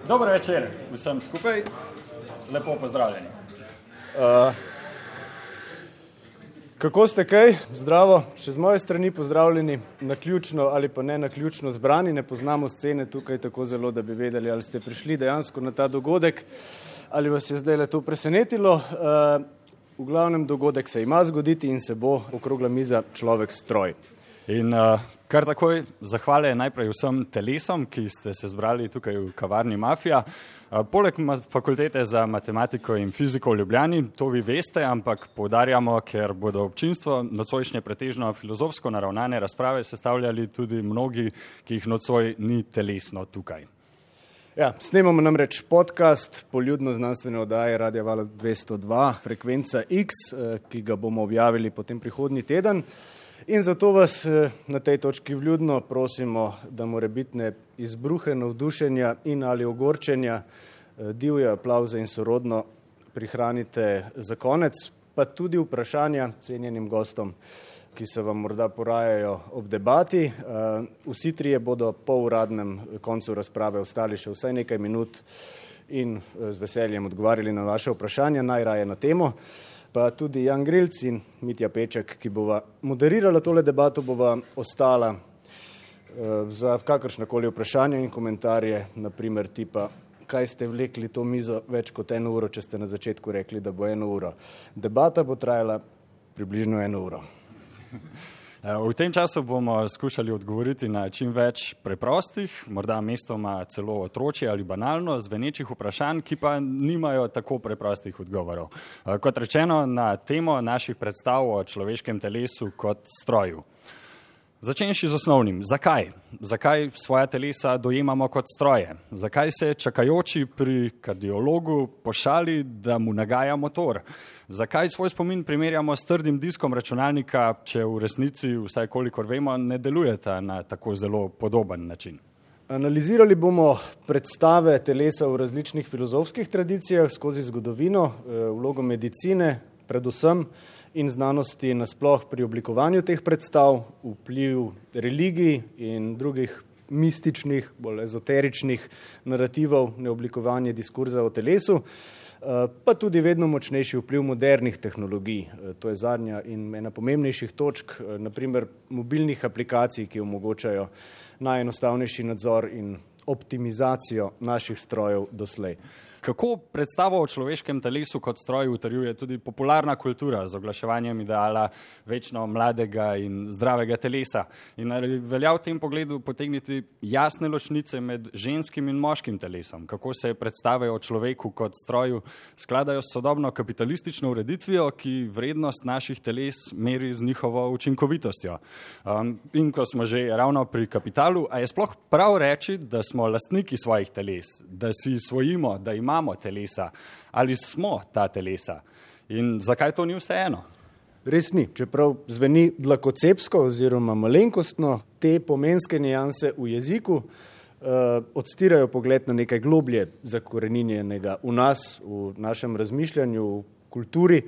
Dober večer vsem skupaj, lepo pozdravljeni. Kako ste kaj? Zdravo, še z moje strani pozdravljeni, naključno ali pa ne naključno zbrani, ne poznamo scene tukaj tako zelo, da bi vedeli, ali ste prišli dejansko na ta dogodek, ali vas je zdaj le to presenetilo. V glavnem dogodek se ima zgoditi in se bo okrogla miza človek stroj. In kar takoj zahvale najprej vsem telesom, ki ste se zbrali tukaj v kavarni Mafija. Poleg fakultete za matematiko in fiziko v Ljubljani, to vi veste, ampak poudarjamo, ker bodo občinstvo nocojšnje pretežno filozofsko naravnane razprave sestavljali tudi mnogi, ki jih nocoj ni telesno tukaj. Ja, snemamo namreč podcast poljudno znanstvene oddaje Radia Val 202, frekvenca X, ki ga bomo objavili potem prihodnji teden. In zato vas na tej točki vljudno prosimo, da morebitne izbruhe navdušenja in ali ogorčenja, divje aplavze in sorodno prihranite za konec, pa tudi vprašanja cenjenim gostom, ki se vam morda porajajo ob debati. Vsi trije bodo po uradnem koncu razprave ostali še vsaj nekaj minut in z veseljem odgovarjali na vaše vprašanja, najraje na temo. Pa tudi Jan Grilc in Mitja Peček, ki bova moderirala tole debato, bova ostala za kakršnakoli vprašanja in komentarje, naprimer tipa, kaj ste vlekli to mizo več kot 1 uro, če ste na začetku rekli, da bo 1 uro. Debata bo trajala približno 1 uro. V tem času bomo skušali odgovoriti na čim več preprostih, morda mestoma celo otročje ali banalno zvenečih vprašanj, ki pa nimajo tako preprostih odgovorov. Kot rečeno, na temo naših predstav o človeškem telesu kot stroju. Začenši z osnovnim. Zakaj? Zakaj svoja telesa dojemamo kot stroje? Zakaj se čakajoči pri kardiologu pošali, da mu nagaja motor? Zakaj svoj spomin primerjamo s trdim diskom računalnika, če v resnici, vsaj kolikor vemo, ne delujeta na tako zelo podoben način? Analizirali bomo predstave telesa v različnih filozofskih tradicijah skozi zgodovino, vlogo medicine, predvsem in znanosti nasploh pri oblikovanju teh predstav, vpliv religij in drugih mističnih, bolj ezoteričnih narativov na oblikovanje diskurza o telesu, pa tudi vedno močnejši vpliv modernih tehnologij. To je zadnja in ena pomembnejših točk, naprimer mobilnih aplikacij, ki omogočajo najenostavnejši nadzor in optimizacijo naših strojev doslej. Kako predstavo o človeškem telesu kot stroju utrjuje tudi popularna kultura z oglaševanjem ideala večno mladega in zdravega telesa? In velja v tem pogledu potegniti jasne ločnice med ženskim in moškim telesom? Kako se predstave o človeku kot stroju skladajo s sodobno kapitalistično ureditvijo, ki vrednost naših teles meri z njihovo učinkovitostjo? In ko smo že ravno pri kapitalu, a je sploh prav reči, da smo lastniki svojih teles, da si svojimo, da imamo telesa, ali smo ta telesa in zakaj to ni vseeno? Res ni, čeprav zveni dlakocepsko oziroma malenkostno, te pomenske nijanse v jeziku odstirajo pogled na nekaj globlje zakoreninjenega v nas, v našem razmišljanju, v kulturi,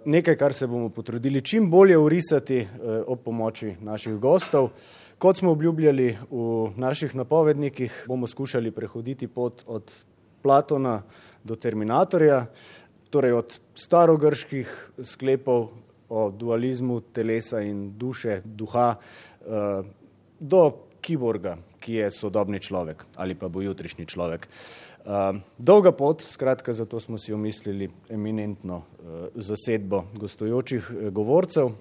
nekaj, kar se bomo potrudili čim bolje orisati ob pomoči naših gostov. Kot smo obljubljali v naših napovednikih, bomo skušali prehoditi pot od Platona do Terminatorja, torej od starogrških sklepov o dualizmu telesa in duše, duha, do kiborga, ki je sodobni človek ali pa bo jutrišnji človek. Dolga pot, skratka, zato smo si omislili eminentno zasedbo gostujočih govorcev.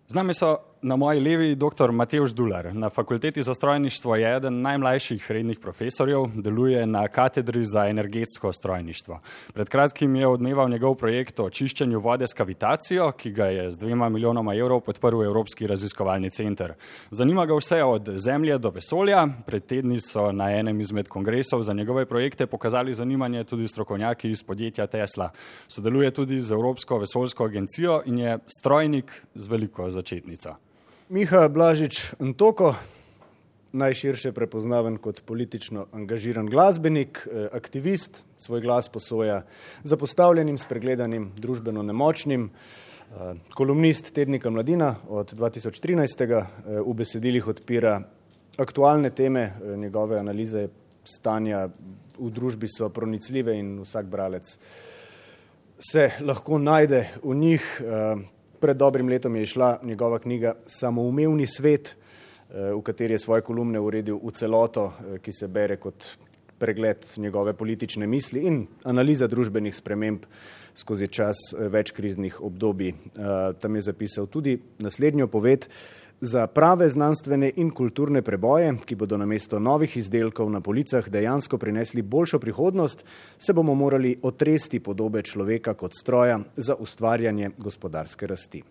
Z nami so na moji levi dr. Matevž Dular. Na fakulteti za strojništvo je eden najmlajših rednih profesorjev, deluje na katedri za energetsko strojništvo. Pred kratkim je odmeval njegov projekt o čiščenju vode s kavitacijo, ki ga je z 2 milijonoma evrov podprl Evropski raziskovalni center. Zanima ga vse od Zemlje do vesolja. Pred tedni so na enem izmed kongresov za njegove projekte pokazali zanimanje tudi strokovnjaki iz podjetja Tesla. Sodeluje tudi z Evropsko vesoljsko agencijo in je strojnik z veliko začetnico. Miha Blažič-Ntoko, najširše prepoznaven kot politično angažiran glasbenik, aktivist, svoj glas posoja zapostavljenim, spregledanim, družbeno nemočnim, kolumnist tednika Mladina od 2013. V besedilih odpira aktualne teme, njegove analize stanja v družbi so pronicljive in vsak bralec se lahko najde v njih. Pred dobrim letom je išla njegova knjiga Samoumevni svet, v kateri je svoje kolumne uredil v celoto, ki se bere kot pregled njegove politične misli in analiza družbenih sprememb skozi čas več kriznih obdobij. Tam je zapisal tudi naslednjo poved: za prave znanstvene in kulturne preboje, ki bodo namesto novih izdelkov na policah dejansko prinesli boljšo prihodnost, se bomo morali otresti podobe človeka kot stroja za ustvarjanje gospodarske rasti.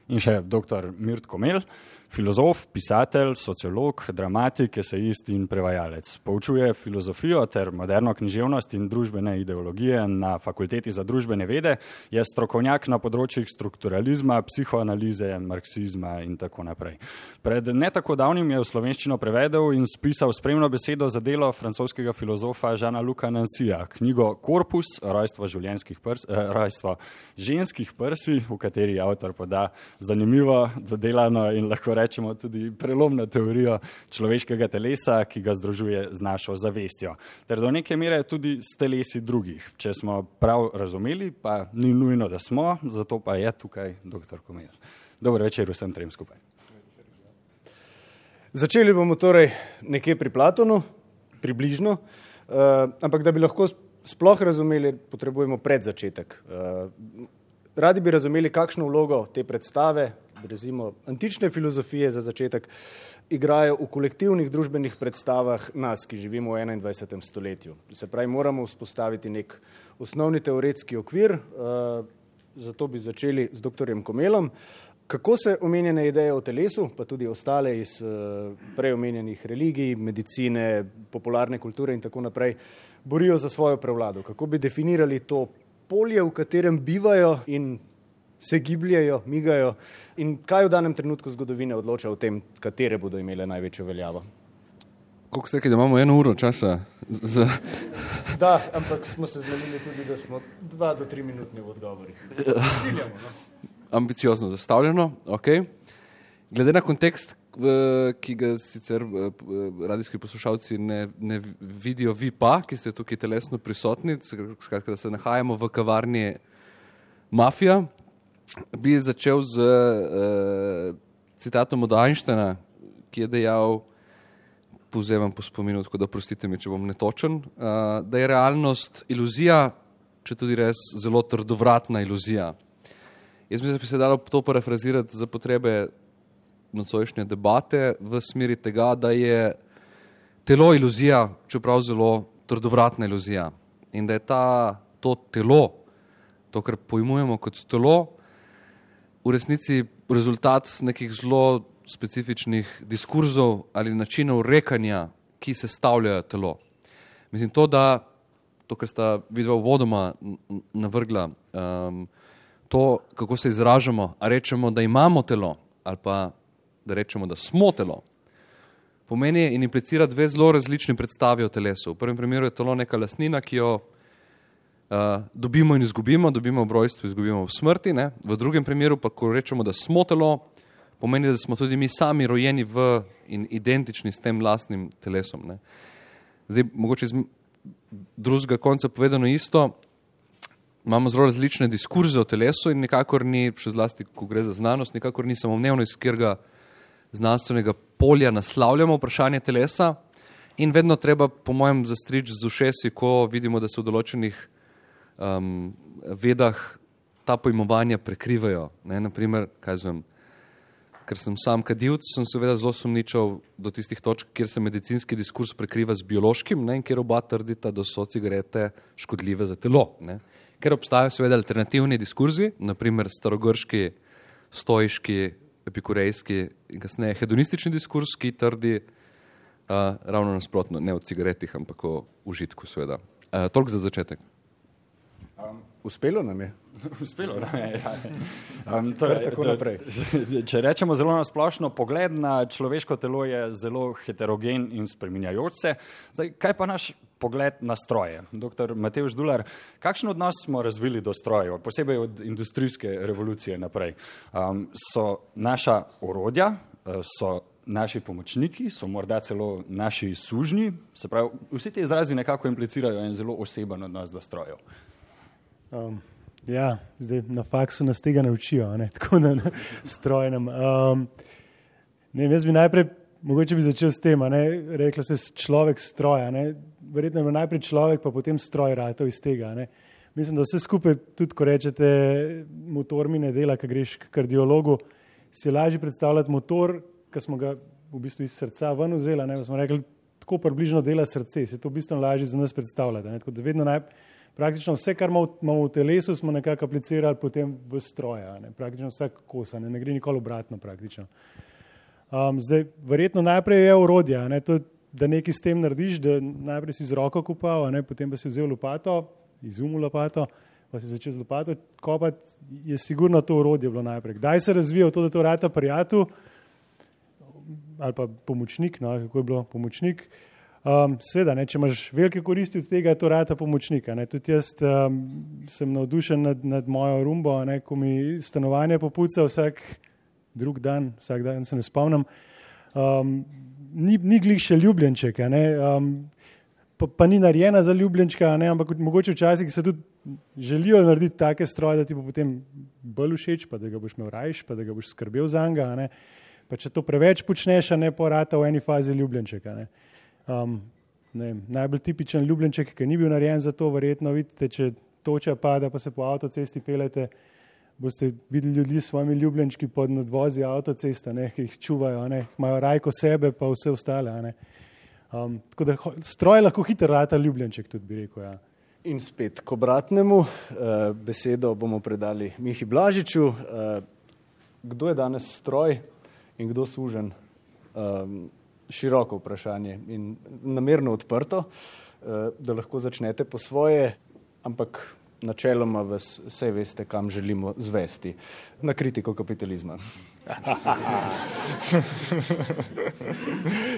In še dr. Mirt Komel, filozof, pisatelj, sociolog, dramatik, esejist in prevajalec. Poučuje filozofijo ter moderno književnost in družbene ideologije na Fakulteti za družbene vede, je strokovnjak na področjih strukturalizma, psihoanalize, marksizma in tako naprej. Pred ne tako davnim je v slovenščino prevedel in spisal spremno besedo za delo francoskega filozofa Jeana-Luca Nancyja, knjigo Korpus, rojstvo ženskih prsi, v kateri avtor poda zanimivo, dodelano in lahko rečemo tudi prelomno teorijo človeškega telesa, ki ga združuje z našo zavestjo. Ter do neke mere tudi s telesi drugih. Če smo prav razumeli, pa ni nujno, da smo, zato pa je tukaj dr. Komel. Dober večer vsem trem skupaj. Začeli bomo torej nekje pri Platonu, približno, ampak da bi lahko sploh razumeli, potrebujemo predzačetek. Radi bi razumeli, kakšno vlogo te predstave, recimo antične filozofije za začetek, igrajo v kolektivnih družbenih predstavah nas, ki živimo v 21. stoletju. Se pravi, moramo vzpostaviti nek osnovni teoretski okvir, zato bi začeli z dr. Komelom. Kako se omenjene ideje o telesu, pa tudi ostale iz prej omenjenih religij, medicine, popularne kulture in tako naprej, borijo za svojo prevlado? Kako bi definirali to polje, v katerem bivajo in se gibljajo, migajo, in kaj v danem trenutku zgodovine odloča o tem, katere bodo imele največjo veljavo? Koliko ste rekli, da imamo 1 uro časa? Da, ampak smo se zmenili tudi, da smo 2 do 3 minutni v odgovorih. Ciljamo, no? Ambiciozno zastavljeno, ok. Glede na kontekst, ki ga sicer radijski poslušalci ne vidijo, vi pa, ki ste tukaj telesno prisotni, skratka, da se nahajamo v kavarni Mafija, bi začel z citatom od Einsteina, ki je dejal, povzemam po spominu, tako da prostite mi, če bom netočen, da je realnost iluzija, če tudi res zelo trdovratna iluzija. Jaz mislim, da bi se dalo to parafrazirati za potrebe nocojšnje debate v smeri tega, da je telo iluzija, čeprav zelo trdovratna iluzija. In da je to telo, to, kar pojmujemo kot telo, v resnici rezultat nekih zelo specifičnih diskurzov ali načinov rekanja, ki sestavljajo telo. Mislim, to, kar sta vidva uvodoma navrgla, to, kako se izražamo, a rečemo, da imamo telo, ali pa da rečemo, da smo telo, pomeni in implicira 2 zelo različni predstavi o telesu. V prvem primeru je telo neka lastnina, ki jo dobimo in izgubimo, dobimo v rojstvu, izgubimo v smrti. Ne? V drugem primeru pa, ko rečemo, da smo telo, pomeni, da smo tudi mi sami rojeni v in identični s tem lastnim telesom. Ne? Zdaj, mogoče iz drugega konca povedano isto, imamo zelo različne diskurze o telesu in nikakor ni, še zlasti, ko gre za znanost, nikakor ni samoumevno, iz katerega znanstvenega polja naslavljamo vprašanje telesa in vedno treba, po mojem, zastriči z ušesi, ko vidimo, da se v določenih vedah ta pojmovanja prekrivajo. Ne? Naprimer, ker sem sam kadilc, sem seveda zelo sumničal do tistih točk, kjer se medicinski diskurs prekriva z biološkim, ne? In kjer oba trdita, da so cigarete škodljive za telo. Ne? Ker obstajajo seveda alternativni diskurzi, naprimer starogrški, stoiški, epikurejski in kasneje hedonistični diskurs, ki trdi ravno nasprotno, ne o cigaretih, ampak o užitku seveda. Toliko za začetek. Uspelo nam je. Uspelo nam je, ja. Tako naprej. Če rečemo zelo nasplošno, pogled na človeško telo je zelo heterogen in spreminjajoč se. Zdaj, kaj pa naš pogled na stroje? Dr. Matevž Dular, kakšen odnos smo razvili do strojev, posebej od industrijske revolucije naprej? So naša orodja, so naši pomočniki, so morda celo naši sužnji, se pravi, vsi ti izrazi nekako implicirajo en zelo oseben odnos do strojev. Ja, zdaj na faksu nas tega ne učijo, ne? Tako da strojnem. Jaz bi najprej, mogoče bi začel s tem, rekla se človek stroja, verjetno je najprej človek, pa potem stroj ratov iz tega. Mislim, da vse skupaj, tudi ko rečete, motor mi ne dela, ko greš k kardiologu, si je lažje predstavljati motor, ki smo ga v bistvu iz srca ven vzeli, smo rekli, tako približno dela srce, se je to v bistvu lažje za nas predstavljati. Tako da vedno praktično vse, kar imamo v telesu, smo nekako aplicirali potem v stroje, praktično vsak kos, ne gre nikoli obratno praktično. Zdaj, verjetno najprej je orodje, da nekaj s tem narediš, da najprej si z roko kopal, potem pa si vzel lopato, izumil lopato, pa si začel z lopato kopati, je sigurno to orodje bilo najprej. Kdaj se razvija to, da to rata prijatelj ali pa pomočnik, kako je bilo pomočnik, seveda, če imaš velike koristi od tega, to rata pomočnika. Tudi jaz sem navdušen nad mojo rumbo, ko mi stanovanje popuca vsak dan se ne spomnim. Ni glih še ljubljenček, pa ni narejena za ljubljenčka, ampak mogoče včasih se tudi želijo narediti take stroje, da ti bo potem bolj všeč, pa da ga boš imel rajš, pa da ga boš skrbel za njega. Pa če to preveč počneš, porata v eni fazi ljubljenčeka. Najbolj tipičen ljubljenček, ki ni bil narejen za to, verjetno vidite, če toča pada, pa se po avtocesti pelete, boste videli ljudi s svojimi ljubljenčki pod nadvozi avtocesta, ki jih čuvajo, imajo rajko sebe, pa vse ostale. Tako da stroj lahko hitro rata ljubljenček, tudi bi rekel. Ja. In spet k obratnemu, besedo bomo predali Mihi Blažiču. Kdo je danes stroj in kdo suženj? Široko vprašanje in namerno odprto, da lahko začnete po svoje, ampak načeloma vas vse veste, kam želimo zvesti. Na kritiko kapitalizma.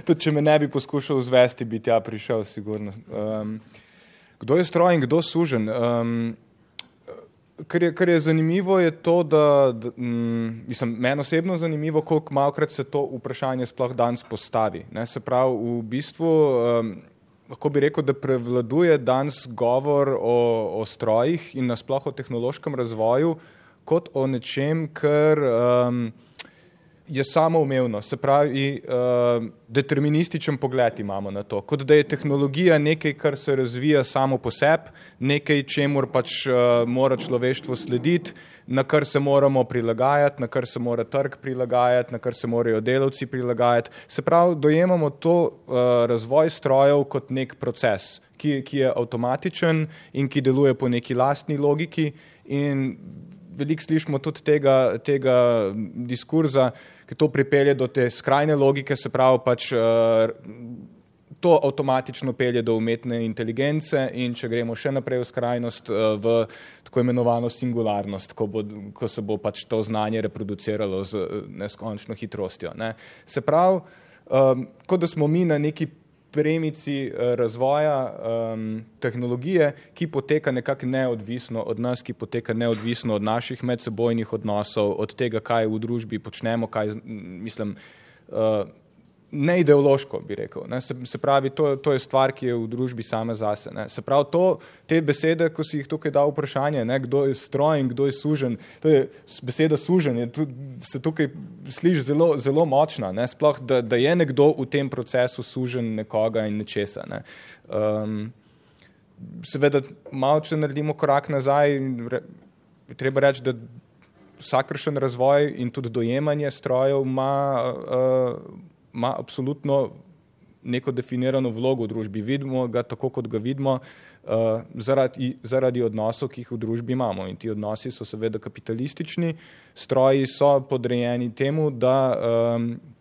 Tudi če me ne bi poskušal zvesti, bi tja prišel sigurno. Kdo je stroj in kdo suženj? Kar je zanimivo, je to, da meni osebno zanimivo, koliko malokrat se to vprašanje sploh danes postavi. Se pravi, v bistvu, lahko bi rekel, da prevladuje danes govor o strojih in nasploh o tehnološkem razvoju kot o nečem, kar je samoumevno, se pravi, determinističen pogled imamo na to, kot da je tehnologija nekaj, kar se razvija samo po sebi, nekaj, čemur pač mora človeštvo slediti, na kar se moramo prilagajati, na kar se mora trg prilagajati, na kar se morajo delavci prilagajati. Se pravi, dojemamo to razvoj strojev kot nek proces, ki je avtomatičen in ki deluje po neki lastni logiki in veliko slišimo tudi tega diskurza, ki to pripelje do te skrajne logike, se pravi pač to avtomatično pelje do umetne inteligence in če gremo še naprej v skrajnost, v tako imenovano singularnost, ko se bo pač to znanje reproduciralo z neskončno hitrostjo. Se pravi, kot da smo mi na neki premici razvoja tehnologije, ki poteka nekako neodvisno od nas, ki poteka neodvisno od naših medsebojnih odnosov, od tega, kaj v družbi počnemo, ne ideološko, bi rekel. Se pravi, to je stvar, ki je v družbi same zase. Se pravi, te besede, ko si jih tukaj dal vprašanje, kdo je stroj in kdo je suženj, to je beseda suženj, se tukaj sliši zelo, zelo močna, sploh, da je nekdo v tem procesu suženj nekoga in nečesa. Seveda, malo če naredimo korak nazaj, treba reči, da vsakršen razvoj in tudi dojemanje strojev ima absolutno neko definirano vlogo v družbi. Vidimo ga tako, kot ga vidimo, zaradi odnosov, ki jih v družbi imamo. In ti odnosi so seveda kapitalistični, stroji so podrejeni temu, da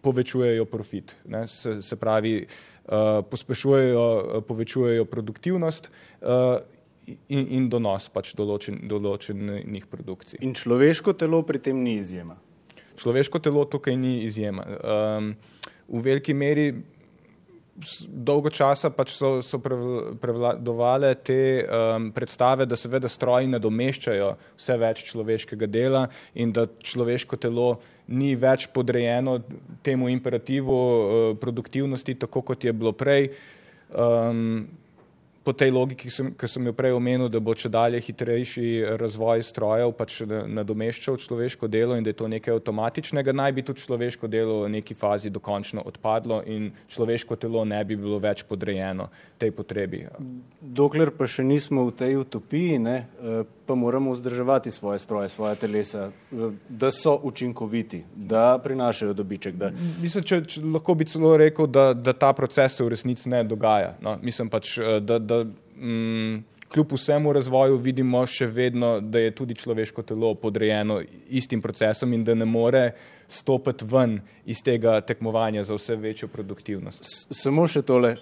povečujejo profit. Se pravi, povečujejo produktivnost in donos pač določenih produkcij. In človeško telo pri tem ni izjema? Človeško telo tukaj ni izjema. V veliki meri dolgo časa pač so prevladovale te predstave, da seveda stroji nadomeščajo vse več človeškega dela in da človeško telo ni več podrejeno temu imperativu produktivnosti, tako kot je bilo prej. Po tej logiki, ki sem jo prej omenil, da bo čedalje hitrejši razvoj strojev pač nadomeščal človeško delo in da je to nekaj avtomatičnega, naj bi tudi človeško delo v neki fazi dokončno odpadlo in človeško telo ne bi bilo več podrejeno tej potrebi. Dokler pa še nismo v tej utopiji, ne, pa moramo vzdrževati svoje stroje, svoje telesa, da so učinkoviti, da prinašajo dobiček. Da... Mislim, če lahko bi celo rekel, da ta proces se v resnici ne dogaja. No? Mislim pač, da kljub vsemu razvoju vidimo še vedno, da je tudi človeško telo podrejeno istim procesom in da ne more stopiti ven iz tega tekmovanja za vse večjo produktivnost. Samo še tole.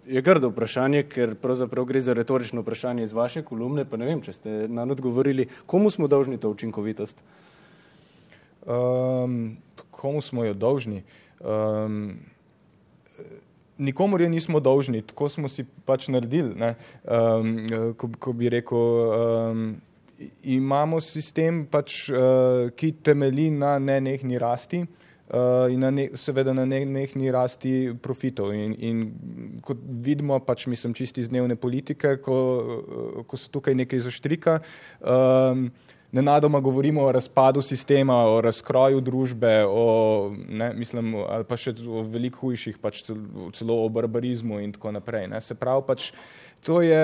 Je grdo vprašanje, ker pravzaprav gre za retorično vprašanje iz vaše kolumne, pa ne vem, če ste nanj odgovorili. Komu smo dolžni to učinkovitost? Komu smo jo dolžni? Nikomor je nismo dolžni, tako smo si pač naredili. Ne? Ko bi rekel, imamo sistem, pač, ki temelji na nenehni rasti in seveda na nenehni rasti profitov. In kot vidimo, pač mislim čisti iz dnevne politike, ko se tukaj nekaj zaštrika, nenadoma govorimo o razpadu sistema, o razkroju družbe, ali pa še o veliko hujših, pač celo o barbarizmu in tako naprej. Ne. Se pravi, pač, to je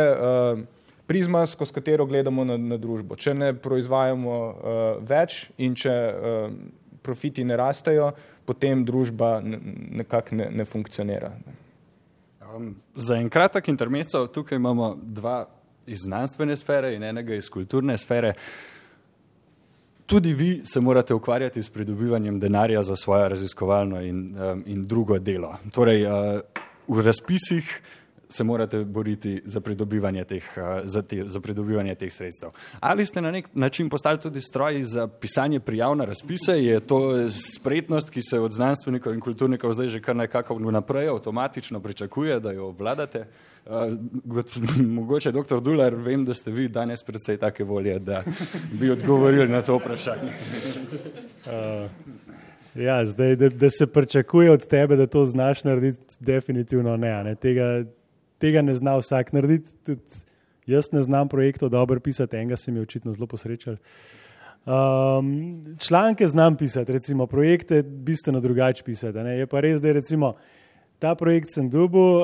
prizma, skozi katero gledamo na družbo. Če ne proizvajamo več in če profiti ne rastejo, potem družba nekako ne funkcionira. Za en kratek intermezzo tukaj imamo dva iz znanstvene sfere in enega iz kulturne sfere. Tudi vi se morate ukvarjati s pridobivanjem denarja za svojo raziskovalno in drugo delo. Torej, v razpisih se morate boriti za pridobivanje teh sredstev. Ali ste na nek način postali tudi stroji za pisanje prijav na razpise? Je to spretnost, ki se od znanstvenikov in kulturnikov zdaj že kar nekako naprej avtomatično pričakuje, da jo obvladate? Mogoče, doktor Dular, vem, da ste vi danes predvsej take volje, da bi odgovorili na to vprašanje. Ja, zdaj, da se pričakuje od tebe, da to znaš narediti, definitivno ne. Tega ne zna vsak narediti. Tudi jaz ne znam projektov dobro pisati, enega se mi je očitno zelo posrečal. Članke znam pisati, recimo projekte bistveno drugače pisati. Je pa res, da je recimo ta projekt sem dobil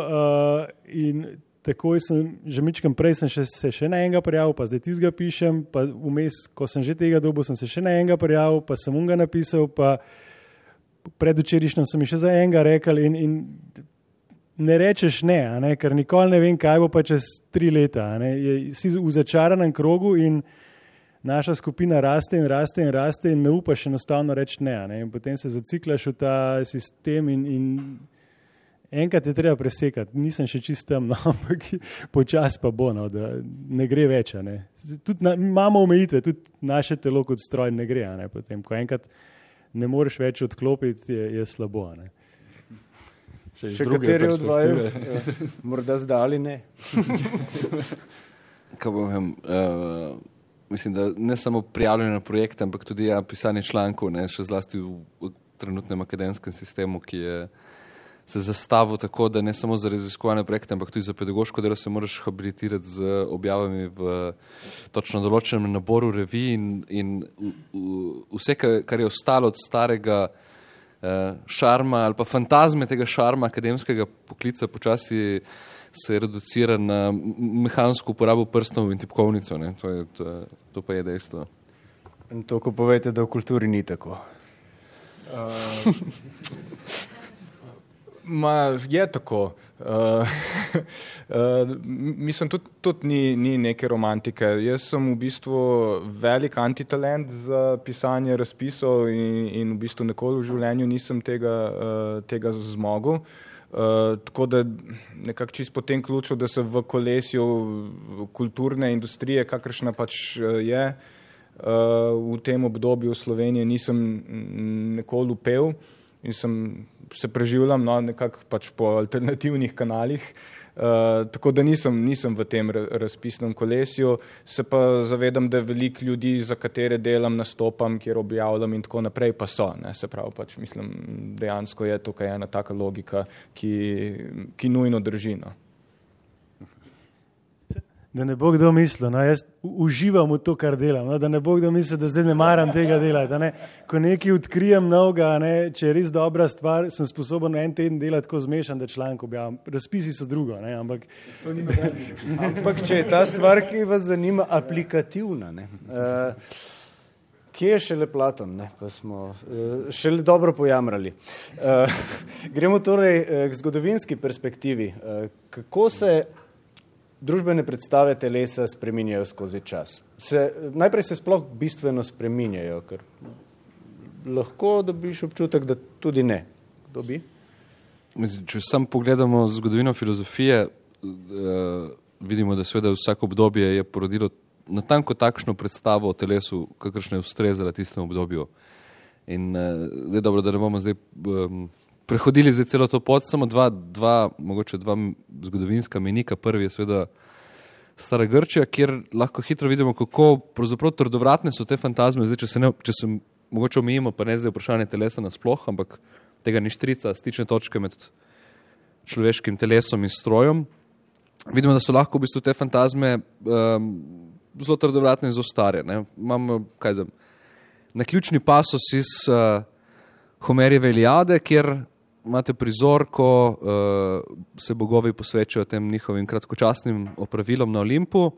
in takoj sem, že mičkam prej sem se še na enega prijavil, pa zdaj tistega pišem, pa vmes, ko sem že tega dobil, sem se še na enega prijavil, pa sem ga napisal, pa predvčerajšnjem sem mi še za enega rekel in ne rečeš ne, ker nikoli ne vem, kaj bo pa čez 3 leta. Si v začaranem krogu in naša skupina raste in ne upaš enostavno reči ne. In potem se zaciklaš v ta sistem in enkrat je treba presekati. Nisem še čist tam, ampak počas pa bo, da ne gre več. Tudi imamo omejitve, tudi naše telo kot stroj ne gre. Potem, ko enkrat ne moreš več odklopiti, je slabo. Še kateri od vaju? Morda zdaj ali ne? Mislim, da ne samo prijavljanje na projekte, ampak tudi pisanje člankov, še zlasti v trenutnem akademskem sistemu, ki je se zastavil tako, da ne samo za raziskovalne projekte, ampak tudi za pedagoško delo se moraš habilitirati z objavami v točno določenem naboru revij in vse, kar je ostalo od starega šarma ali pa fantazme tega šarma akademskega poklica, počasi se reducira na mehansko uporabo prstov in tipkovnico. To pa je dejstvo. In to, ko povete, da v kulturi ni tako. Je tako. Mislim, tudi ni neke romantike. Jaz sem v bistvu velik antitalent za pisanje razpisov in v bistvu nikoli v življenju nisem tega zmogel. Tako da nekako čist po tem ključu, da se v kolesju kulturne industrije, kakršna pač je, v tem obdobju v Sloveniji nisem nikoli upel. in se preživljam nekako pač po alternativnih kanalih, tako da nisem v tem razpisnem kolesju, se pa zavedam, da veliko ljudi, za katere delam, nastopam, kjer objavljam in tako naprej, pa so. Ne? Se pravi, pač mislim, dejansko je tukaj ena taka logika, ki nujno drži. No. Da ne bo kdo mislil, no, jaz uživam v to, kar delam, no, da ne bo kdo mislil, da zdaj ne maram tega delati. Ne. Ko nekaj odkrijem novega, če je res dobra stvar, sem sposoben en teden delati tako zmešan, da članek objavim. Razpisi so drugo, ne, ampak če je ta stvar, ki vas zanima, aplikativna, ne. Kje je šele Platon, ne, pa smo šele dobro pojamrali. Gremo torej k zgodovinski perspektivi. Kako se družbene predstave telesa spreminjajo skozi čas? Najprej se sploh bistveno spreminjajo, ker lahko dobiš občutek, da tudi ne. Kdo bi? Če sam pogledamo zgodovino filozofije, vidimo, da seveda vsako obdobje je porodilo natanko takšno predstavo o telesu, kakršna je ustrezala tistemu obdobju. In zdaj dobro, da ne bomo zdaj prehodili zdaj celo to pot, samo mogoče dva zgodovinska menika. Prvi je seveda Stara Grčija, kjer lahko hitro vidimo, kako pravzaprav trdovratne so te fantazme. Zdaj, če se mogoče omejimo, pa ne zdaj vprašanje telesa nasploh, ampak tega ništrica, stične točke med človeškim telesom in strojem, vidimo, da so lahko v bistvu te fantazme zelo trdovratne in zelo stare. Ne? Imamo, naključni pasos iz Homerjeve Iliade, kjer imate prizor, ko se bogovi posvečajo tem njihovim kratkočasnim opravilom na Olimpu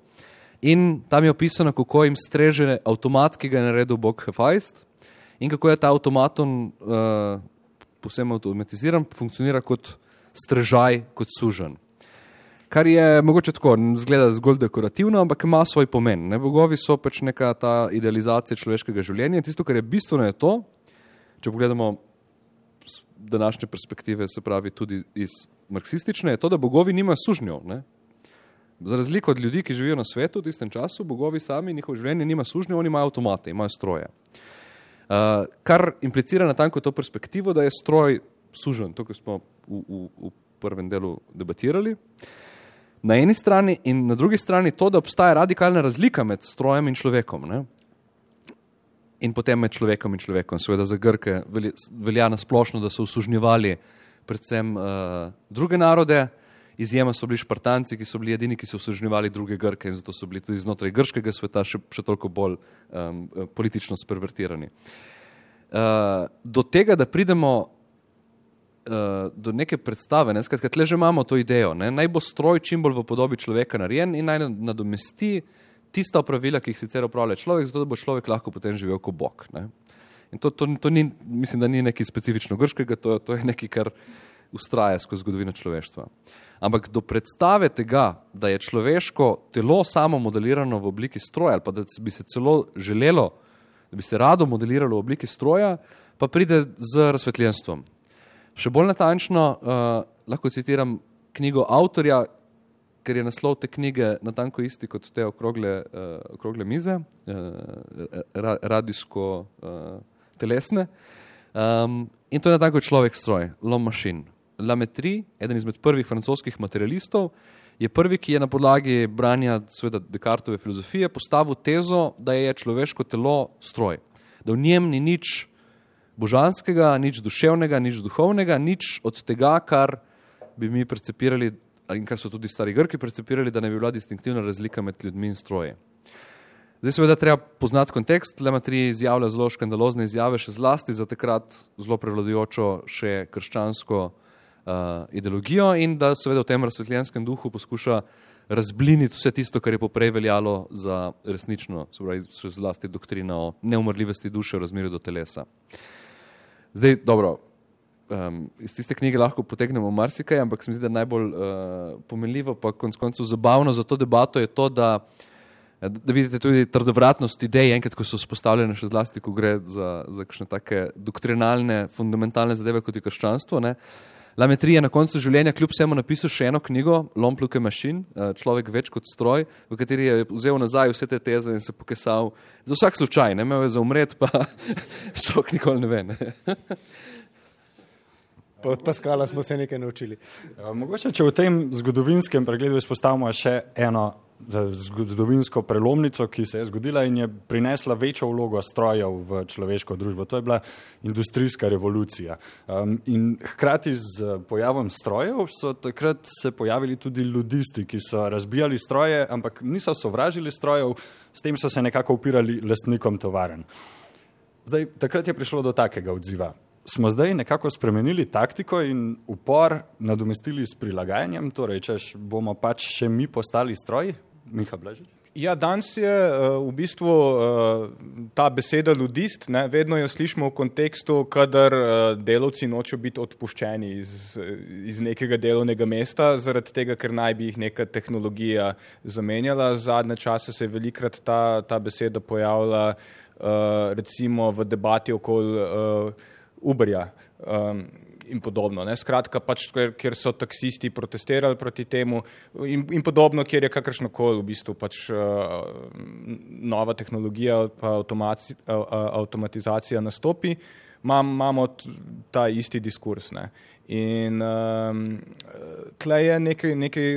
in tam je opisano, kako jim streže avtomat, ki ga je naredil bog Hefajst in kako je ta avtomaton povsem avtomatiziran, funkcionira kot strežaj, kot suženj. Kar je mogoče tako, zgleda zgolj dekorativno, ampak ima svoj pomen. Ne? Bogovi so pač neka ta idealizacija človeškega življenja in tisto, kar je bistveno, je to, če pogledamo današnje perspektive, se pravi tudi iz marksistične, je to, da bogovi nimajo sužnjev. Ne? Za razliko od ljudi, ki živijo na svetu v tistem času, bogovi sami, njihovo življenje nima sužnjev, oni imajo avtomate, imajo stroje. Kar implicira natanko to perspektivo, da je stroj suženj, to, kar smo v prvem delu debatirali. Na eni strani in na drugi strani to, da obstaja radikalna razlika med strojem in človekom. Ne? In potem med človekom in človekom. Seveda za Grke velja nasplošno, da so usužnjevali predvsem druge narode. Izjema so bili Špartanci, ki so bili edini, ki so usužnjevali druge Grke in zato so bili tudi znotraj grškega sveta še toliko bolj politično spervertirani. Do tega, da pridemo do neke predstave, ne? Skratka, tle že imamo to idejo, ne? Naj bo stroj čim bolj v podobi človeka narejen in naj nadomesti tista opravila, ki jih sicer opravlja človek, zato da bo človek lahko potem živel kot bog. Ne? In to ni, mislim, da ni nekaj specifično grškega, to je nekaj, kar ustraja skozi zgodovino človeštva. Ampak do predstave tega, da je človeško telo samo modelirano v obliki stroja, ali pa da bi se celo želelo, da bi se rado modeliralo v obliki stroja, pa pride z razsvetljenstvom. Še bolj natančno lahko citiram knjigo avtorja, ker je naslov te knjige natanko isti kot te okrogle mize, radijsko-telesne. In to je natanko človek stroj, l'homme machine. Lametri, eden izmed prvih francoskih materialistov, je prvi, ki je na podlagi branja seveda Descartove filozofije postavil tezo, da je človeško telo stroj. Da v njem ni nič božanskega, nič duševnega, nič duhovnega, nič od tega, kar bi mi percepirali in kar so tudi stari Grki percepirali, da ne bi bila distinktivna razlika med ljudmi in stroji. Zdaj seveda treba poznati kontekst. Lametri izjavlja zelo škandalozne izjave, še zlasti za takrat zelo prevladujočo še krščansko ideologijo in da seveda v tem razsvetljenskem duhu poskuša razbliniti vse tisto, kar je poprej veljalo za resnično, se pravi še zlasti doktrina o neumrljivosti duše v razmerju do telesa. Zdaj, dobro, iz tiste knjige lahko potegnemo marsikaj, ampak se mi zdi, da najbolj pomenljivo pa konec koncev zabavno za to debato je to, da vidite tudi trdovratnost idej, enkrat, ko so vzpostavljene še zlasti, ko gre za kakšne take doktrinalne, fundamentalne zadeve kot je krščanstvo. Ne. Lametri je na koncu življenja kljub vsemu napisal še eno knjigo, L'homme plus que machine, človek več kot stroj, v kateri je vzel nazaj vse te teze in se pokesal za vsak slučaj, ne imel je za umret, pa šok nikoli ne ve. Ne. Pa od Paskala smo se nekaj naučili. Mogoče, če v tem zgodovinskem pregledu izpostavimo še eno zgodovinsko prelomnico, ki se je zgodila in je prinesla večjo vlogo strojev v človeško družbo. To je bila industrijska revolucija. In hkrati z pojavom strojev so takrat se pojavili tudi ludisti, ki so razbijali stroje, ampak niso sovražili strojev, s tem so se nekako upirali lastnikom tovarn. Zdaj, takrat je prišlo do takega odziva. Smo zdaj nekako spremenili taktiko in upor nadomestili s prilagajanjem, torej, češ bomo pač še mi postali stroji? Miha Blažič? Ja, danes je v bistvu ta beseda ludist, ne, vedno jo slišimo v kontekstu, kadar delavci nočejo biti odpuščeni iz nekega delovnega mesta, zaradi tega, ker naj bi jih neka tehnologija zamenjala. Zadnje čase se je velikrat ta beseda pojavila recimo v debati okoli Uberja in podobno. Ne? Skratka, pač, kjer so taksisti protestirali proti temu in podobno, kjer je kakršnokoli v bistvu pač nova tehnologija pa avtomatizacija nastopi, imamo ta isti diskurs. Ne? In tle je nekaj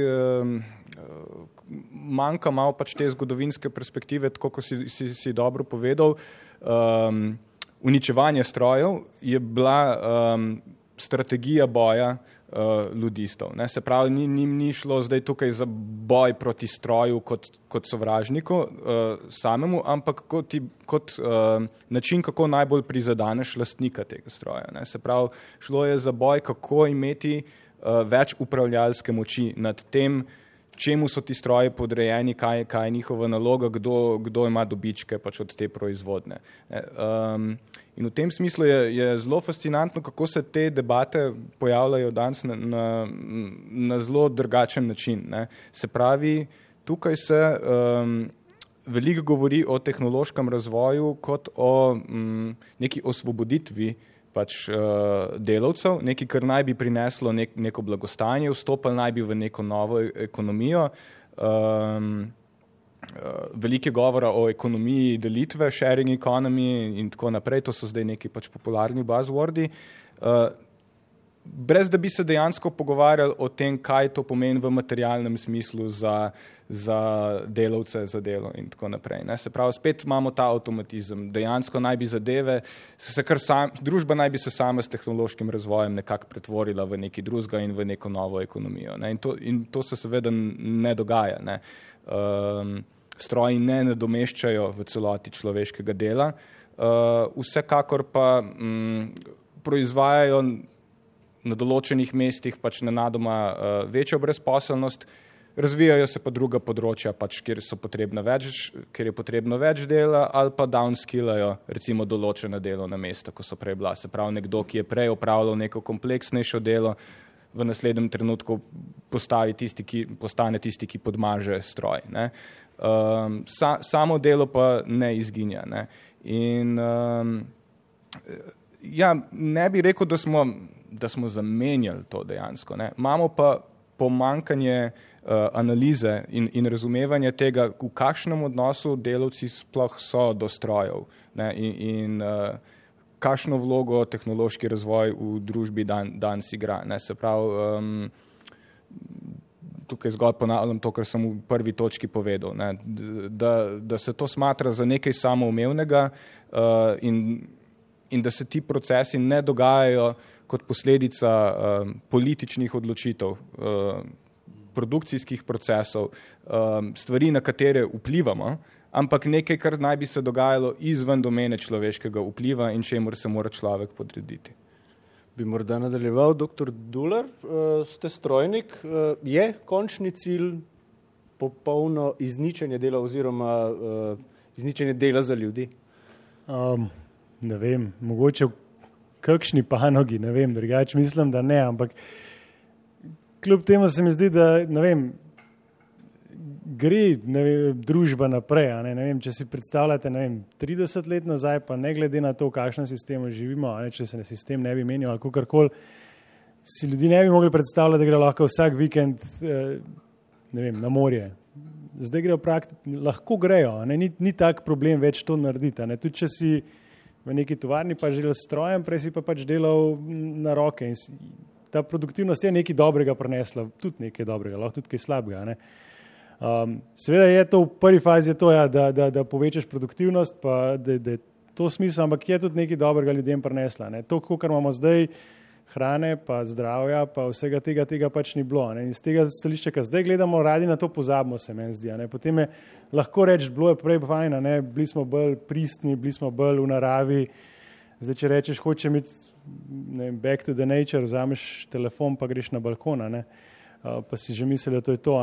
manjka malo pač te zgodovinske perspektive, tako kot si dobro povedal. Uničevanje strojev je bila strategija boja ludistov. Ne? Se pravi, ni šlo zdaj tukaj za boj proti stroju kot sovražniku samemu, ampak kot način, kako najbolj prizadaneš lastnika tega stroja. Ne? Se pravi, šlo je za boj, kako imeti več upravljalske moči nad tem, čemu so ti stroji podrejeni, kaj je njihova naloga, kdo ima dobičke pač od te proizvodne. In v tem smislu je zelo fascinantno, kako se te debate pojavljajo danes na zelo drugačen način. Ne. Se pravi, tukaj se veliko govori o tehnološkem razvoju kot o neki osvoboditvi pač delavcev, nekaj, kar naj bi prineslo neko blagostanje, vstopali naj bi v neko novo ekonomijo. Veliko govora o ekonomiji delitve, sharing economy in tako naprej, to so zdaj neki pač popularni buzzwordi. Brez da bi se dejansko pogovarjali o tem, kaj to pomeni v materialnem smislu za delavce, za delo in tako naprej. Ne? Se pravi, spet imamo ta avtomatizem. Dejansko naj bi zadeve, družba naj bi se sama s tehnološkim razvojem nekako pretvorila v nekaj drugega in v neko novo ekonomijo. Ne? In to se seveda ne dogaja. Ne? Stroji ne nadomeščajo v celoti človeškega dela. Vsekakor pa proizvajajo na določenih mestih pač nenadoma večjo brezposelnost, razvijajo se pa druga področja, pač, kjer je potrebno več dela, ali pa downskillajo recimo določena delovna mesta, ko so prej bila. Se pravi, nekdo, ki je prej opravljal neko kompleksnejšo delo, v naslednjem trenutku postane tisti, ki podmaže stroj. Ne. Samo delo pa ne izginja. Ne. In ne bi rekel, da smo zamenjali to dejansko. Ne. Imamo pa pomanjkanje analize in razumevanja tega, v kakšnem odnosu delavci sploh so do strojev, ne, in kakšno vlogo tehnološki razvoj v družbi danes igra. Ne. Se pravi, tukaj zgolj ponavljam to, kar sem v prvi točki povedal, ne, da se to smatra za nekaj samoumevnega in da se ti procesi ne dogajajo kot posledica političnih odločitev, produkcijskih procesov, stvari, na katere vplivamo, ampak nekaj, kar naj bi se dogajalo izven domene človeškega vpliva in čemur se mora človek podrediti. Bi morda nadaljeval, dr. Dular, ste strojnik. Je končni cilj popolno izničenje dela oziroma izničenje dela za ljudi? Ne vem, mogoče v kakšni panogi, ne vem, drugače mislim, da ne, ampak kljub temu se mi zdi, da ne vem, gre družba naprej. Ne vem, če si predstavljate 30 let nazaj, pa ne glede na to, v kakšnem sistemu živimo, če se sistem ne bi menil ali kakorkoli, si ljudi ne bi mogli predstavljati, da gre lahko vsak vikend na morje. Zdaj grejo lahko grejo, ni tak problem več to narediti. Tudi če si v neki tovarni, pa delal s strojem, prej si pa pač delal na roke. In ta produktivnost je nekaj dobrega prinesla, tudi nekaj dobrega, lahko tudi kaj slabega. Ne? Seveda je to v prvi fazi to, ja, da povečaš produktivnost, pa da je to smisel, ampak je tudi nekaj dobrega ljudem prinesla. Ne? To, kar imamo zdaj, hrane, pa zdravja, pa vsega tega pač ni bilo. Ne? In z tega stališča, ki zdaj gledamo, radi na to pozabimo, se meni zdi. Ne? Potem je lahko reči, bilo je prej fajn, ne? Bili smo bolj pristni, bili smo bolj v naravi. Zdaj, če rečeš, hočem iti back to the nature, vzameš telefon, pa greš na balkon, pa si že misli, da to je to.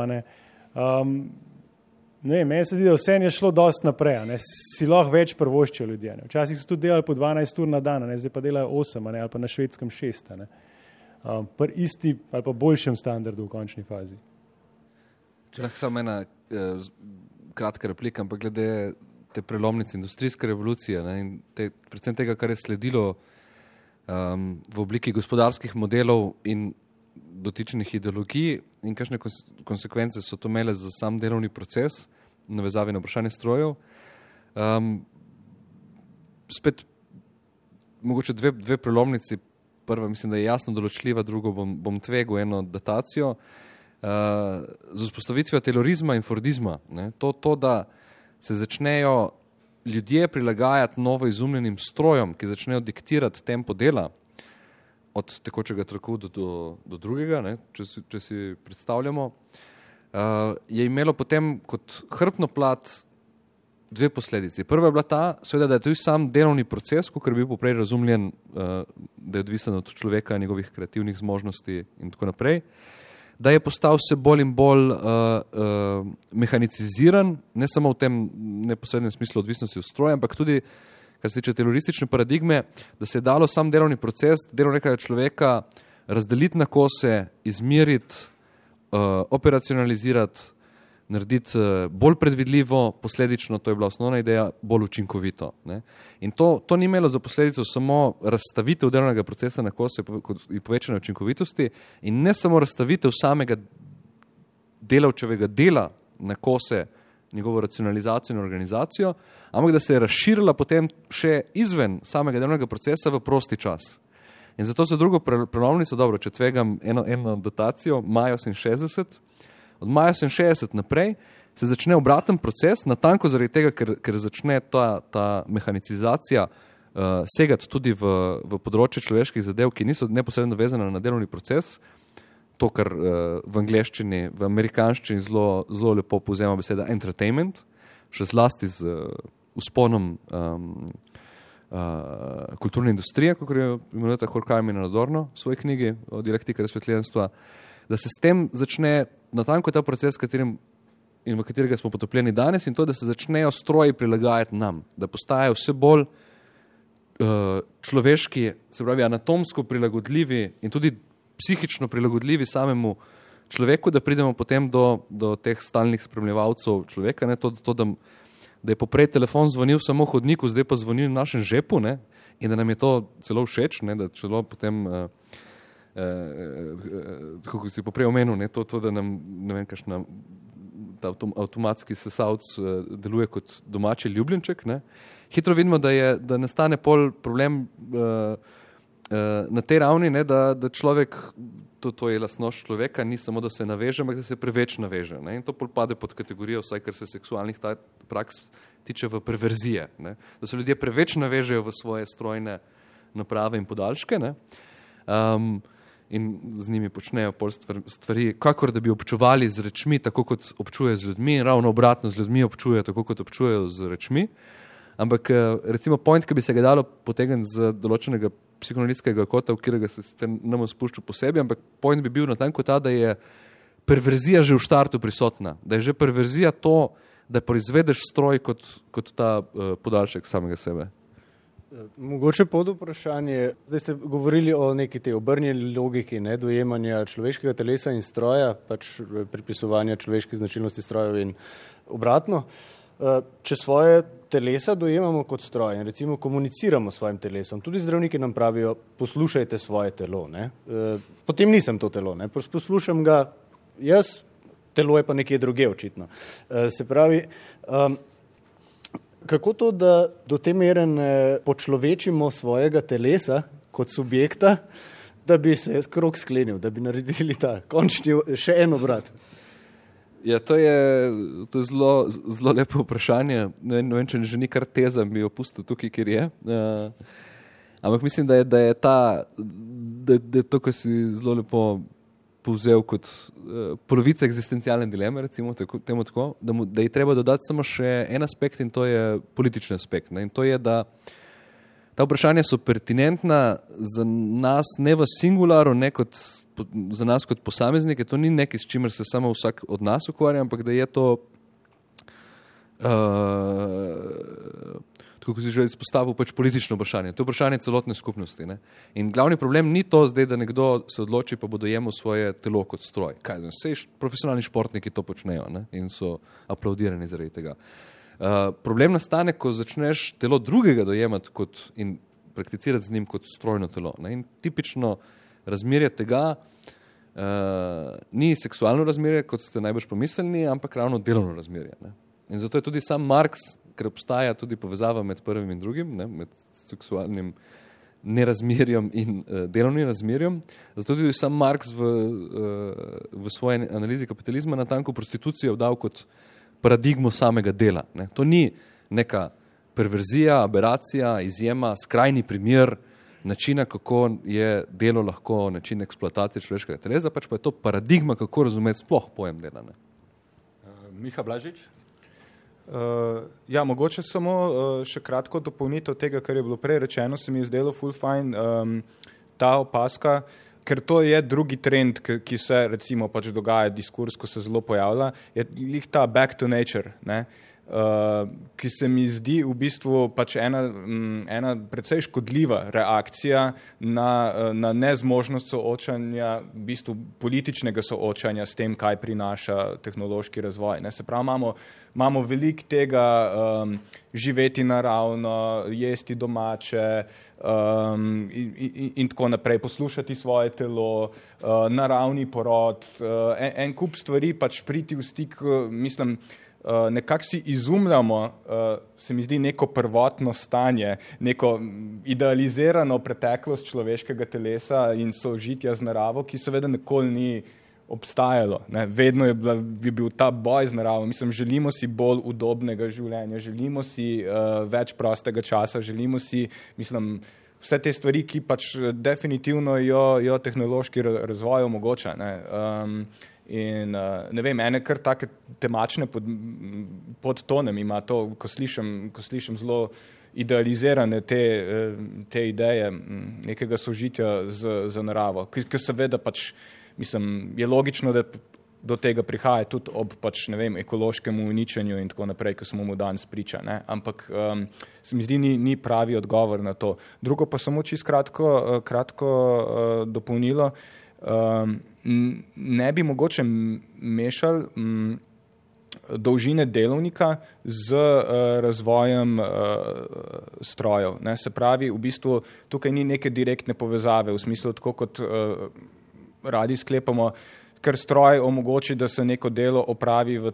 Meni se zdi, da vse je šlo dosti naprej, si lahko več prvoščijo ljudje. Ne? Včasih so tudi delali po 12 ur na dan, zdaj pa delajo 8 ali pa na Švedskem 6. Pri isti ali pa boljšem standardu v končni fazi. Če lahko samo ena kratka replika, ampak glede te prelomnice industrijske revolucije, ne, in predvsem tega, kar je sledilo v obliki gospodarskih modelov in dotičnih ideologij in kakšne konsekvence so to imele za sam delovni proces, navezavi na vprašanje strojev. Spet mogoče dve prelomnici. Prva mislim, da je jasno določljiva, drugo bom tvegal eno datacijo. Z vzpostavitvijo terorizma in fordizma. Ne, to, da se začnejo ljudje prilagajati novo izumljenim strojem, ki začnejo diktirati tempo dela, od tekočega traku do drugega, ne, če si predstavljamo, je imelo potem kot hrbtno plat dve posledici. Prva je bila ta, seveda, da je tudi sam delovni proces, kot je bil poprej razumljen, da je odvisen od človeka, njegovih kreativnih zmožnosti in tako naprej, da je postal vse bolj in bolj mehaniciziran, ne samo v tem neposrednem smislu odvisnosti od stroja, ampak tudi, kar se tiče teroristične paradigme, da se je dalo sam delovni proces, delo nekega človeka razdeliti na kose, izmeriti, operacionalizirati, narediti bolj predvidljivo, posledično, to je bila osnovna ideja, bolj učinkovito. Ne? In to ni imelo za posledico samo razstavitev delovnega procesa na kose in povečanje učinkovitosti in ne samo razstavitev samega delavčevega dela na kose, njegovo racionalizacijo in organizacijo, ampak da se je razširila potem še izven samega delovnega procesa v prosti čas. In zato za drugo prelomnico, dobro, če tvegam eno datacijo, maja 68, od maja 68 naprej se začne obraten proces, natanko zaradi tega, ker začne ta mehanicizacija segati tudi v področje človeških zadev, ki niso neposredno vezane na delovni proces, to, kar v angleščini, v amerikanščini zelo lepo povzema beseda entertainment, še zlasti z vzponom kulturne industrije, kot jo imenujete Horkheimer in Adorno v svoji knjigi o dialektika razsvetljenstva, da se s tem začne natanko ta proces, v katerega smo potopljeni danes, in to, da se začnejo stroji prilagajati nam, da postajajo vse bolj človeški, se pravi anatomsko prilagodljivi in tudi psihično prilagodljivi samemu človeku, da pridemo potem do teh stalnih spremljevalcev človeka, ne, da je poprej telefon zvonil samo v hodniku, zdaj pa zvonil v našem žepu, ne, in da nam je to celo všeč, ne, da celo potem kako si poprej omenil, ne, to, da nam, ne vem, kakšna avtomatski sesalc deluje kot domači ljubljenček, ne. Hitro vidimo, da nastane pol problem na tej ravni, ne, da človek, to je lastnost človeka, ni samo, da se naveže, ampak da se preveč naveže. Ne. In to pol pade pod kategorijo, vsaj kar se seksualnih praks tiče, v perverzije. Ne. Da se ljudje preveč navežejo v svoje strojne naprave in podaljške, ne. In z njimi počnejo pol stvari, kakor da bi občuvali z rečmi, tako kot občuje z ljudmi, ravno obratno, z ljudmi občuje, tako kot občujejo z rečmi. Ampak recimo point, ki bi se ga dalo potegniti z določenega psihoanalitskega kota, v katerega se ne bom spuščal posebej, ampak point bi bil natanko ta, da je perverzija že v štartu prisotna, da je že perverzija to, da proizvedeš stroj kot ta podaljšek samega sebe. Mogoče pod vprašanje, zdaj ste govorili o neki tej obrnjeni logiki, ne, dojemanja človeškega telesa in stroja, pač pripisovanja človeških značilnosti strojev in obratno. Če svoje telesa dojemamo kot stroj in recimo komuniciramo s svojim telesom, tudi zdravniki nam pravijo, poslušajte svoje telo, ne. Potem nisem to telo, ne, poslušam ga jaz, telo je pa nekje druge očitno. Se pravi, kako to, da do te mere ne počlovečimo svojega telesa kot subjekta, da bi se krog sklenil, da bi naredili ta končni še en obrat? Ja, to je zelo lepo vprašanje. Ne vem, če že ni kar teza, bi jo pustil tukaj, kjer je. Ampak mislim, da je to, kar si zelo lepo povzel kot polovica egzistencialne dileme, recimo temu tako, da je treba dodati samo še en aspekt in to je politični aspekt. Ne? In to je, da ta vprašanja so pertinentna za nas ne v singularu, ne kot za nas kot posameznike, to ni nekaj, s čimer se samo vsak od nas ukvarja, ampak da je to, tako kot si že izpostavil, pač politično vprašanje. To je vprašanje celotne skupnosti. Ne? In glavni problem ni to zdaj, da nekdo se odloči, pa bo dojemal svoje telo kot stroj. Sej profesionalni športniki to počnejo, ne? In so aplaudirani zaradi tega. Problem nastane, ko začneš telo drugega dojemati in prakticirati z njim kot strojno telo. Ne? In tipično razmerje tega ni seksualno razmerje, kot ste najbrž pomislili, ampak ravno delovno razmerje. Ne? In zato je tudi sam Marx, ker obstaja tudi povezava med prvim in drugim, ne? Med seksualnim nerazmerjem in delovnim razmerjem. Zato tudi sam Marx v svoji analizi kapitalizma natanko prostitucijo dal kot paradigmo samega dela. Ne? To ni neka perverzija, aberacija, izjema, skrajni primer načina, kako je delo lahko način eksploatacije človeškega telesa, pač pa je to paradigma, kako razumeti sploh pojem dela. Ne? Miha Blažič? Ja, mogoče samo še kratko dopolnitev tega, kar je bilo prej rečeno, se mi je zdelo ful fajn ta opaska, ker to je drugi trend, ki se recimo pač dogaja, diskurs, ko se zelo pojavlja, je lih ta back to nature, ne? Ki se mi zdi v bistvu pač ena precej škodljiva reakcija na nezmožnost soočanja, v bistvu političnega soočanja s tem, kaj prinaša tehnološki razvoj. Ne? Se pravi, imamo veliko tega živeti naravno, jesti domače in tako naprej, poslušati svoje telo, naravni porod, en kup stvari pač priti v stik, mislim, nekako si izumljamo, se mi zdi, neko prvotno stanje, neko idealizirano preteklost človeškega telesa in sožitja z naravo, ki seveda nikoli ni obstajalo. Ne? Vedno je bil ta boj z naravo. Mislim, želimo si bolj udobnega življenja, želimo si več prostega časa, želimo si, mislim, vse te stvari, ki pač definitivno jo tehnološki razvoj omogoča. Ne? In ne vem, ene kar take temačne podtonem ima to, ko slišim zelo idealizirane te ideje nekega sožitja z naravo, ki seveda pač, mislim, je logično, da do tega prihaja tudi ob pač, ne vem, ekološkemu uničenju in tako naprej, ko smo mu danes priča, ne? Ampak se mi zdi, ni pravi odgovor na to. Drugo pa samo čisto kratko dopolnilo, ne bi mogoče mešali dolžine delovnika z razvojem strojev. Ne? Se pravi, v bistvu tukaj ni neke direktne povezave, v smislu tako kot radi sklepamo, ker stroj omogoči, da se neko delo opravi v,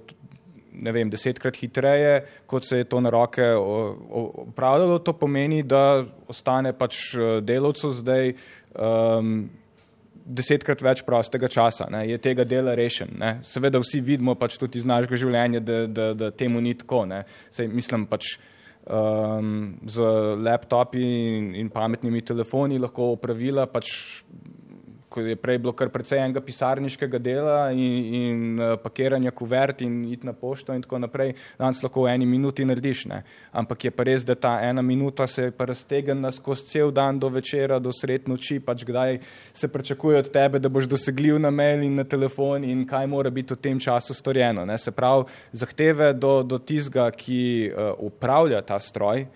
ne vem, 10-krat hitreje, kot se je to na roke opravljalo. To pomeni, da ostane pač delavcu zdaj 10-krat več prostega časa, ne, je tega dela rešen. Ne. Seveda vsi vidimo pač tudi iz našega življenja, da temu ni tako. Ne. Sej, mislim pač z laptopi in pametnimi telefoni lahko opravila pač, ko je prej bilo kar precej enega pisarniškega dela in pakiranja kuvert in iti na pošto in tako naprej, danes lahko v 1 minuti narediš. Ne. Ampak je pa res, da ta 1 minuta se pa raztegne skozi cel dan do večera, do sred noči, pač kdaj se pričakuje od tebe, da boš dosegljiv na mail in na telefon in kaj mora biti v tem času storjeno. Ne. Se pravi, zahteve do tistega, ki upravlja ta stroj,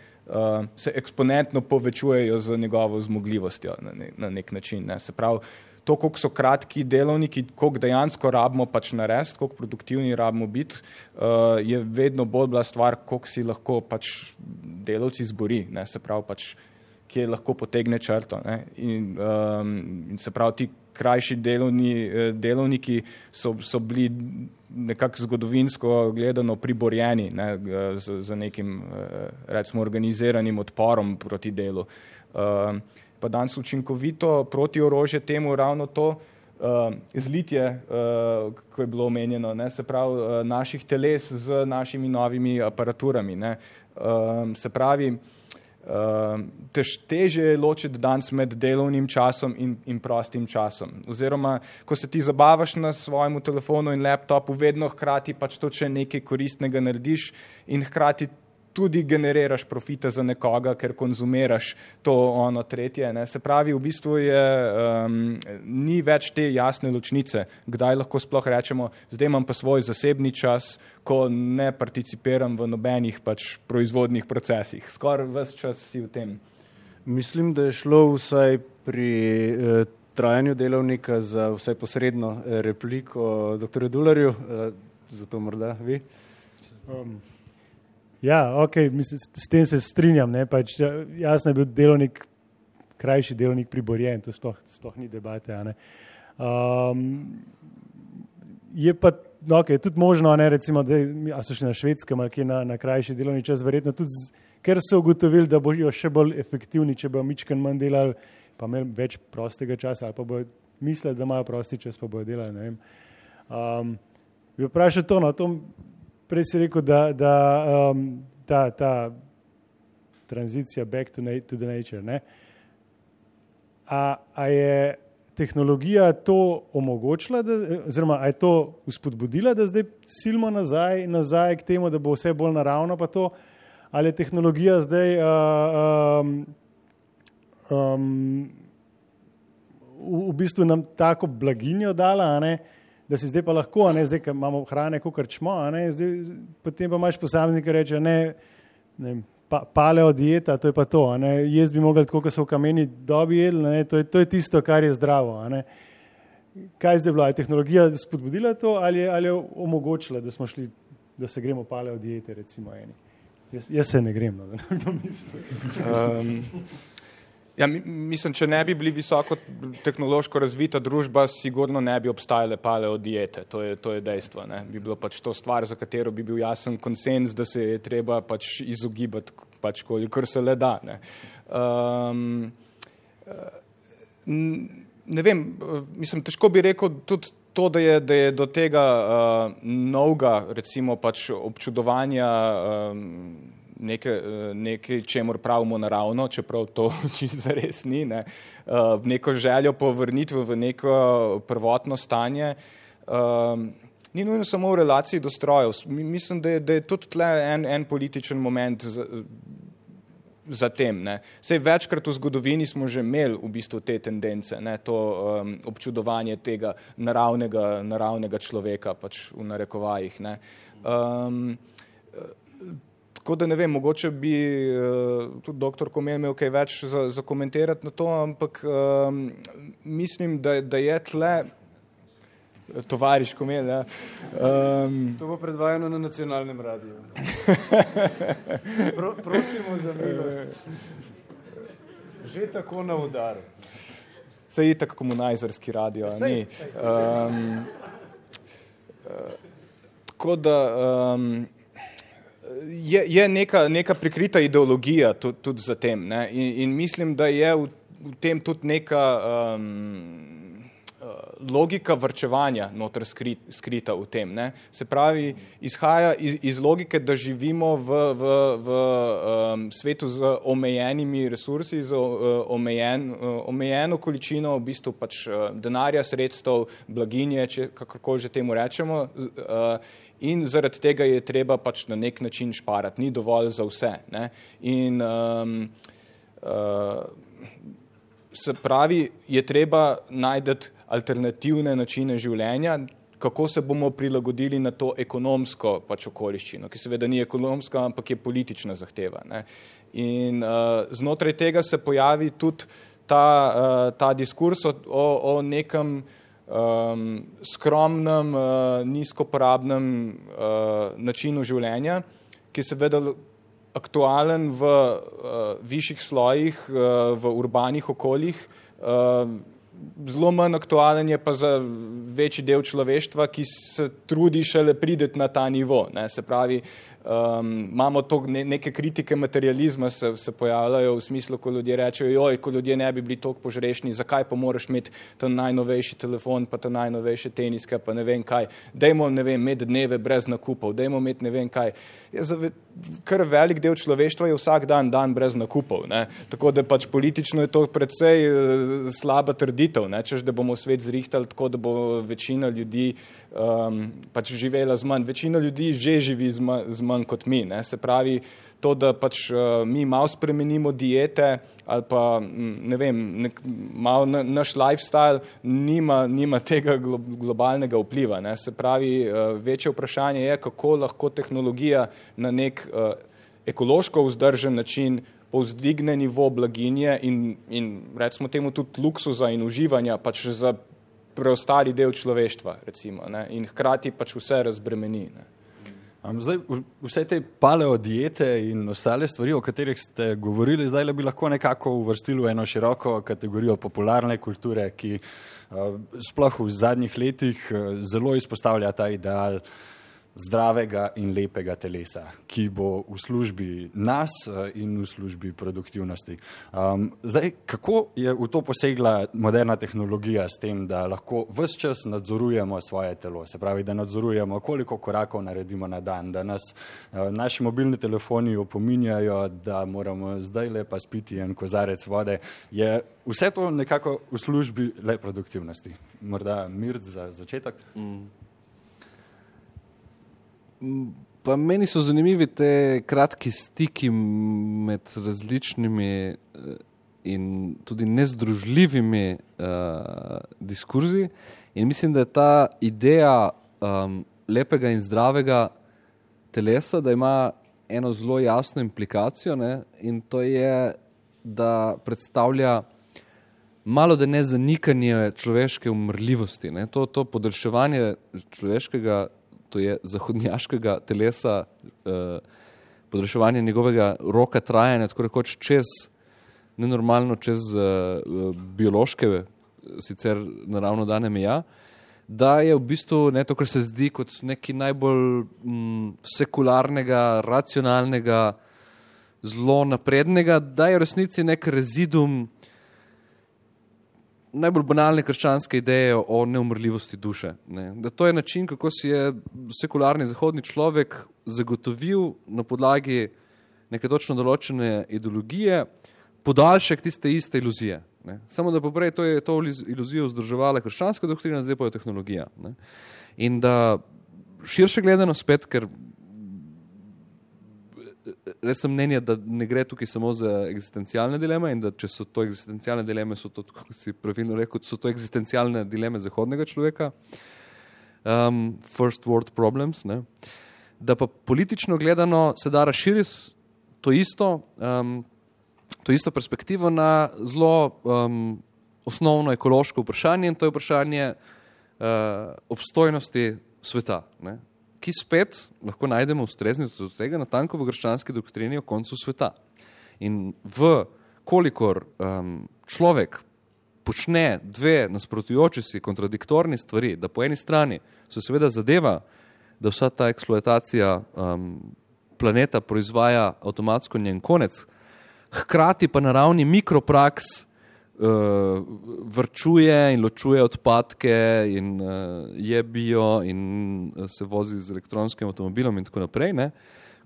se eksponentno povečujejo z njegovo zmogljivostjo na nek način. Ne. Se pravi, to, koliko so kratki delovniki, koliko dejansko rabimo pač narediti, koliko produktivni rabimo biti, je vedno bolj bila stvar, koliko si lahko pač delavci zbori. Ne. Se pravi, pač kje lahko potegne črto. Ne? In se pravi, ti krajši delovniki so bili nekako zgodovinsko gledano priborjeni, ne, z nekim, recimo, organiziranim odporom proti delu. Pa danes učinkovito protiorožje temu ravno to zlitje, ko je bilo omenjeno, ne, se pravi, naših teles z našimi novimi aparaturami. Ne. Se pravi, težje je ločiti danes med delovnim časom in prostim časom. Oziroma, ko se ti zabavaš na svojemu telefonu in laptopu, vedno hkrati pač to, če nekaj koristnega narediš in hkrati tudi generiraš profite za nekoga, ker konzumiraš to ono tretje. Ne. Se pravi, v bistvu ni več te jasne ločnice, kdaj lahko sploh rečemo, zdaj imam pa svoj zasebni čas, ko ne participiram v nobenih pač proizvodnih procesih. Skoraj ves čas si v tem. Mislim, da je šlo vsaj pri trajanju delovnika za vsaj posredno repliko dr. Dularju, zato morda vi. Ja, ok, mislim, s tem se strinjam, ne, pač jasno je bil delovnik, krajši delovnik priborjen, to sploh ni debate, a ne. Je pa, ok, je tudi možno, ne, recimo, da so šli na Švedskem ali kje na krajši delovni čas, verjetno tudi, ker so ugotovili, da bojo še bolj efektivni, če bojo mičken manj delali, pa imeli več prostega časa, ali pa bojo mislili, da imajo prosti čas, pa bojo delali, ne vem. Bi vprašal to, no, to prej si rekel, da ta tranzicija back to the nature, ne? A je tehnologija to omogočila, oziroma a je to vzpodbudila, da zdaj silimo nazaj k temu, da bo vse bolj naravno, pa to, ali je tehnologija zdaj v bistvu nam tako blaginjo dala, a ne, da si zdaj pa lahko, a ne, zdaj, ko imamo hrane, kakor čmo, a ne, zdaj, potem pa imaš posameznika, ki reče, ne, paleo dieta, to je pa to, a ne, jaz bi mogel tako, ko so v kameni dobi jedli, ne, to je tisto, kar je zdravo, a ne. Kaj zdaj bilo, je tehnologija spodbudila to, ali je omogočila, da smo šli, da se gremo paleo diete, recimo eni? Jaz se ne grem, no, da nekdo misli. Ja, mislim, če ne bi bili visoko tehnološko razvita družba, sigurno ne bi obstajale paleo diete, to je dejstvo. Ne. Bi bilo pač to stvar, za katero bi bil jasen konsens, da se je treba pač izogibati, pač kolikor se le da. Ne. Ne vem, mislim, težko bi rekel tudi to, da je do tega novega, recimo pač občudovanja nekaj, čemur pravimo naravno, čeprav to čisto zares ni, ne, neko željo po vrnitvi v neko prvotno stanje, ni nujno samo v relaciji do strojev. Mislim, da je tudi tle en političen moment za tem. Ne. Sej večkrat v zgodovini smo že imeli v bistvu te tendence, ne, to občudovanje tega naravnega človeka, pač v narekovajih. Ne. Tako da ne vem, mogoče bi tudi doktor Komel imel kaj več za komentirati na to, ampak mislim, da je tle tovariš Komel, ja. To bo predvajano na nacionalnem radiju. Prosimo za milost. Že tako na udaru. Saj itak komunajzerski radio, ni. Tako da je neka prikrita ideologija tudi za tem, ne? In mislim, da je v tem tudi neka logika varčevanja noter skrita v tem. Ne? Se pravi, izhaja iz logike, da živimo v svetu z omejenimi resursi, z omejeno količino v bistvu pač denarja, sredstev, blaginje, kakorkoli že temu rečemo, in zaradi tega je treba pač na nek način šparati, ni dovolj za vse. Ne? In se pravi, je treba najti alternativne načine življenja, kako se bomo prilagodili na to ekonomsko pač okoliščino, ki seveda ni ekonomska, ampak je politična zahteva. Ne? In znotraj tega se pojavi tudi ta diskurs o nekem skromnem, nizkoporabnem načinu življenja, ki seveda aktualen v višjih slojih, v urbanih okoljih, zelo manj aktualen je pa za večji del človeštva, ki se trudi šele prideti na ta nivo. Ne? Se pravi, imamo to neke kritike materializma se pojavljajo v smislu, ko ljudje rečejo, joj, ko ljudje ne bi bili toliko požrešni, zakaj pa moraš imeti ta najnovejši telefon, pa ta najnovejše teniske, pa ne vem kaj. Dajmo, ne vem, imeti dneve brez nakupov, dajmo imeti ne vem kaj. Kar velik del človeštva je vsak dan brez nakupov. Ne? Tako da pač politično je to predvsej slaba trditev, ne? Češ, da bomo svet zrihtali tako, da bo večina ljudi pač živela z manj. Večina ljudi že živi z manj kot mi. Ne? Se pravi, to, da pač mi malo spremenimo diete ali pa, ne vem, malo naš lifestyle nima tega globalnega vpliva. Ne? Se pravi, večje vprašanje je, kako lahko tehnologija na nek ekološko vzdržen način povzdigne nivo blaginje in recimo temu tudi luksuza in uživanja pač za preostali del človeštva, recimo, ne? In hkrati pač vse razbremeni. Ne? Zdaj, vse te paleodiete in ostale stvari, o katerih ste govorili, zdaj bi lahko nekako uvrstili v eno široko kategorijo popularne kulture, ki sploh v zadnjih letih zelo izpostavlja ta ideal zdravega in lepega telesa, ki bo v službi nas in v službi produktivnosti. Zdaj, kako je v to posegla moderna tehnologija s tem, da lahko ves čas nadzorujemo svoje telo, se pravi, da nadzorujemo, koliko korakov naredimo na dan, da nas naši mobilni telefoni opominjajo, da moramo zdaj lepa spiti en kozarec vode, je vse to nekako v službi le produktivnosti. Morda Mirt za začetek? Pa meni so zanimivi te kratki stiki med različnimi in tudi nezdružljivimi diskurzi in mislim, da je ta ideja lepega in zdravega telesa, da ima eno zelo jasno implikacijo, ne? In to je, da predstavlja malo da ne zanikanje človeške umrljivosti. Ne? To podaljševanje človeškega, to je zahodnjaškega telesa, podaljševanje njegovega roka trajanja, tako rekoč nenormalno čez biološke, sicer naravno dane meja, da je v bistvu to, kar se zdi kot neki najbolj sekularnega, racionalnega, zelo naprednega, da je v resnici nek rezidum najbolj banalne krščanske ideje o neumrljivosti duše. Ne? Da to je način, kako si je sekularni zahodni človek zagotovil na podlagi neke točno določene ideologije podaljšek tiste iste iluzije. Ne? Samo da poprej to je to iluzijo vzdrževala krščanska doktrina, zdaj pa je tehnologija. Ne? In da širše gledano spet, ker res sem mnenja, da ne gre tukaj samo za eksistencialne dileme in da če so to eksistencialne dileme, so to, kako si pravilno rekel, so to eksistencialne dileme zahodnega človeka, first world problems, ne? Da pa politično gledano se da razširiti to isto perspektivo na zelo osnovno ekološko vprašanje in to je vprašanje obstojnosti sveta, ne? Ki spet lahko najdemo ustreznico do tega natanko v krščanski doktrini o koncu sveta. In kolikor človek počne dve nasprotujoči si kontradiktorni stvari, da po eni strani se seveda zadeva, da vsa ta eksploatacija planeta proizvaja avtomatsko njen konec, hkrati pa na ravni mikropraks vrčuje in ločuje odpadke in je bio in se vozi z elektronskim avtomobilom in tako naprej, ne?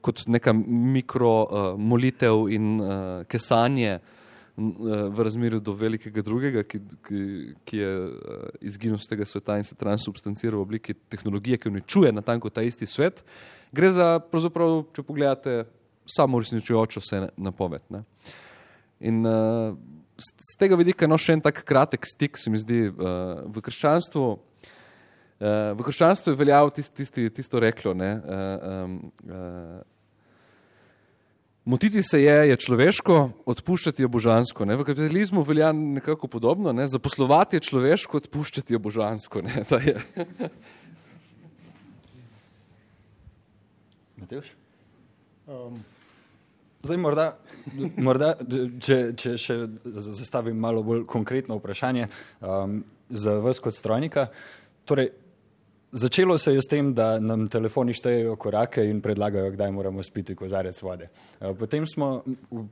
Kot neka mikromolitev in kesanje v razmerju do velikega drugega, ki je izginil z tega sveta in se transubstancira v obliki tehnologije, ki uničuje natanko ta isti svet, gre za, pravzaprav, če pogledate, samo uresničujočo se napoved. Ne? In z tega vidika še en tak kratek stik se mi zdi v krščanstvu. V krščanstvu je veljal tisto reklo, ne? Motiti se je človeško, odpuščati je božansko. Ne? V kapitalizmu velja nekako podobno, ne? Zaposlovati je človeško, odpuščati je božansko. Ne? Matevž? Zdaj, morda če še zastavim malo bolj konkretno vprašanje za vas kot strojnika. Torej, začelo se je s tem, da nam telefoni štejejo korake in predlagajo, kdaj moramo spiti kozarec vode. Potem smo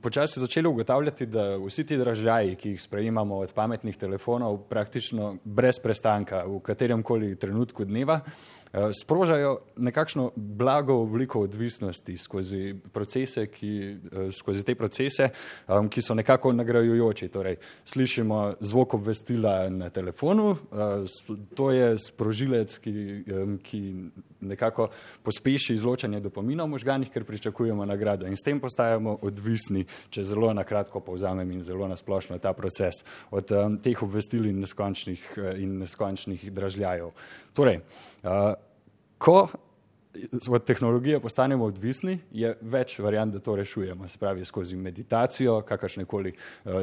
počasi začeli ugotavljati, da vsi ti dražljaji, ki jih sprejemamo od pametnih telefonov, praktično brez prestanka v kateremkoli trenutku dneva, sprožajo nekakšno blago obliko odvisnosti skozi te procese, ki so nekako nagrajujoči. Torej, slišimo zvok obvestila na telefonu, to je sprožilec, ki nekako pospeši izločanje dopamina v možganih, ker pričakujemo nagrado in s tem postajamo odvisni, če zelo na kratko povzamem in zelo nasplošno ta proces od teh obvestil in neskončnih dražljajev. Torej, ko od tehnologije postanemo odvisni, je več variant, da to rešujemo, se pravi skozi meditacijo, kakršnekoli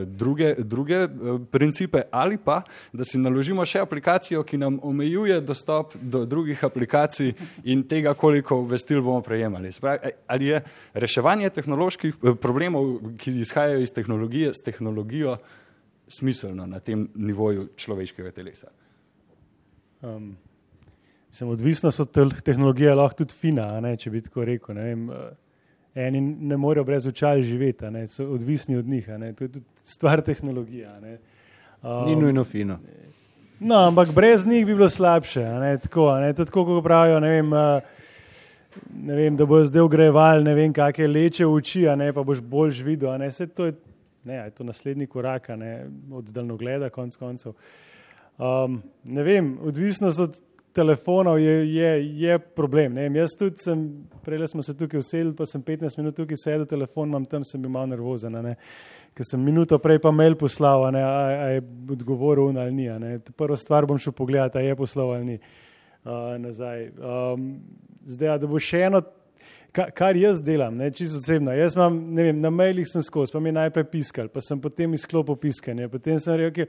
druge principe, ali pa, da si naložimo še aplikacijo, ki nam omejuje dostop do drugih aplikacij in tega, koliko obvestil bomo prejemali. Se pravi, ali je reševanje tehnoloških problemov, ki izhajajo iz tehnologije, s tehnologijo smiselno na tem nivoju človeškega telesa? Odvisnost od tehnologije je lahko tudi fina, če bi tako rekel. Eni ne morejo brez očal živeti, so odvisni od njih. To je tudi stvar tehnologije. Ni nujno fino. No, ampak brez njih bi bilo slabše. To je tako, kot pravijo, da bojo zdaj ogrevali, kakšne leče v oči, pa boš boljš videl. To je to naslednji korak od daljnogleda, konc koncev. Odvisnost od telefonov je problem. Jaz tudi prej smo se tukaj usedli, pa sem 15 minut tukaj sedel, telefon imam tam, sem bil malo nervozen, ker sem minuto prej pa mail poslal, a je odgovoril ali ni. Prvo stvar bom šel pogledati, a je poslal ali ni nazaj. Zdaj, da bo še eno, kar jaz delam, čisto osebno. Jaz imam, na mailih sem skozi, pa mi najprej piskal, pa sem potem izklopil piskanje, potem sem rekel,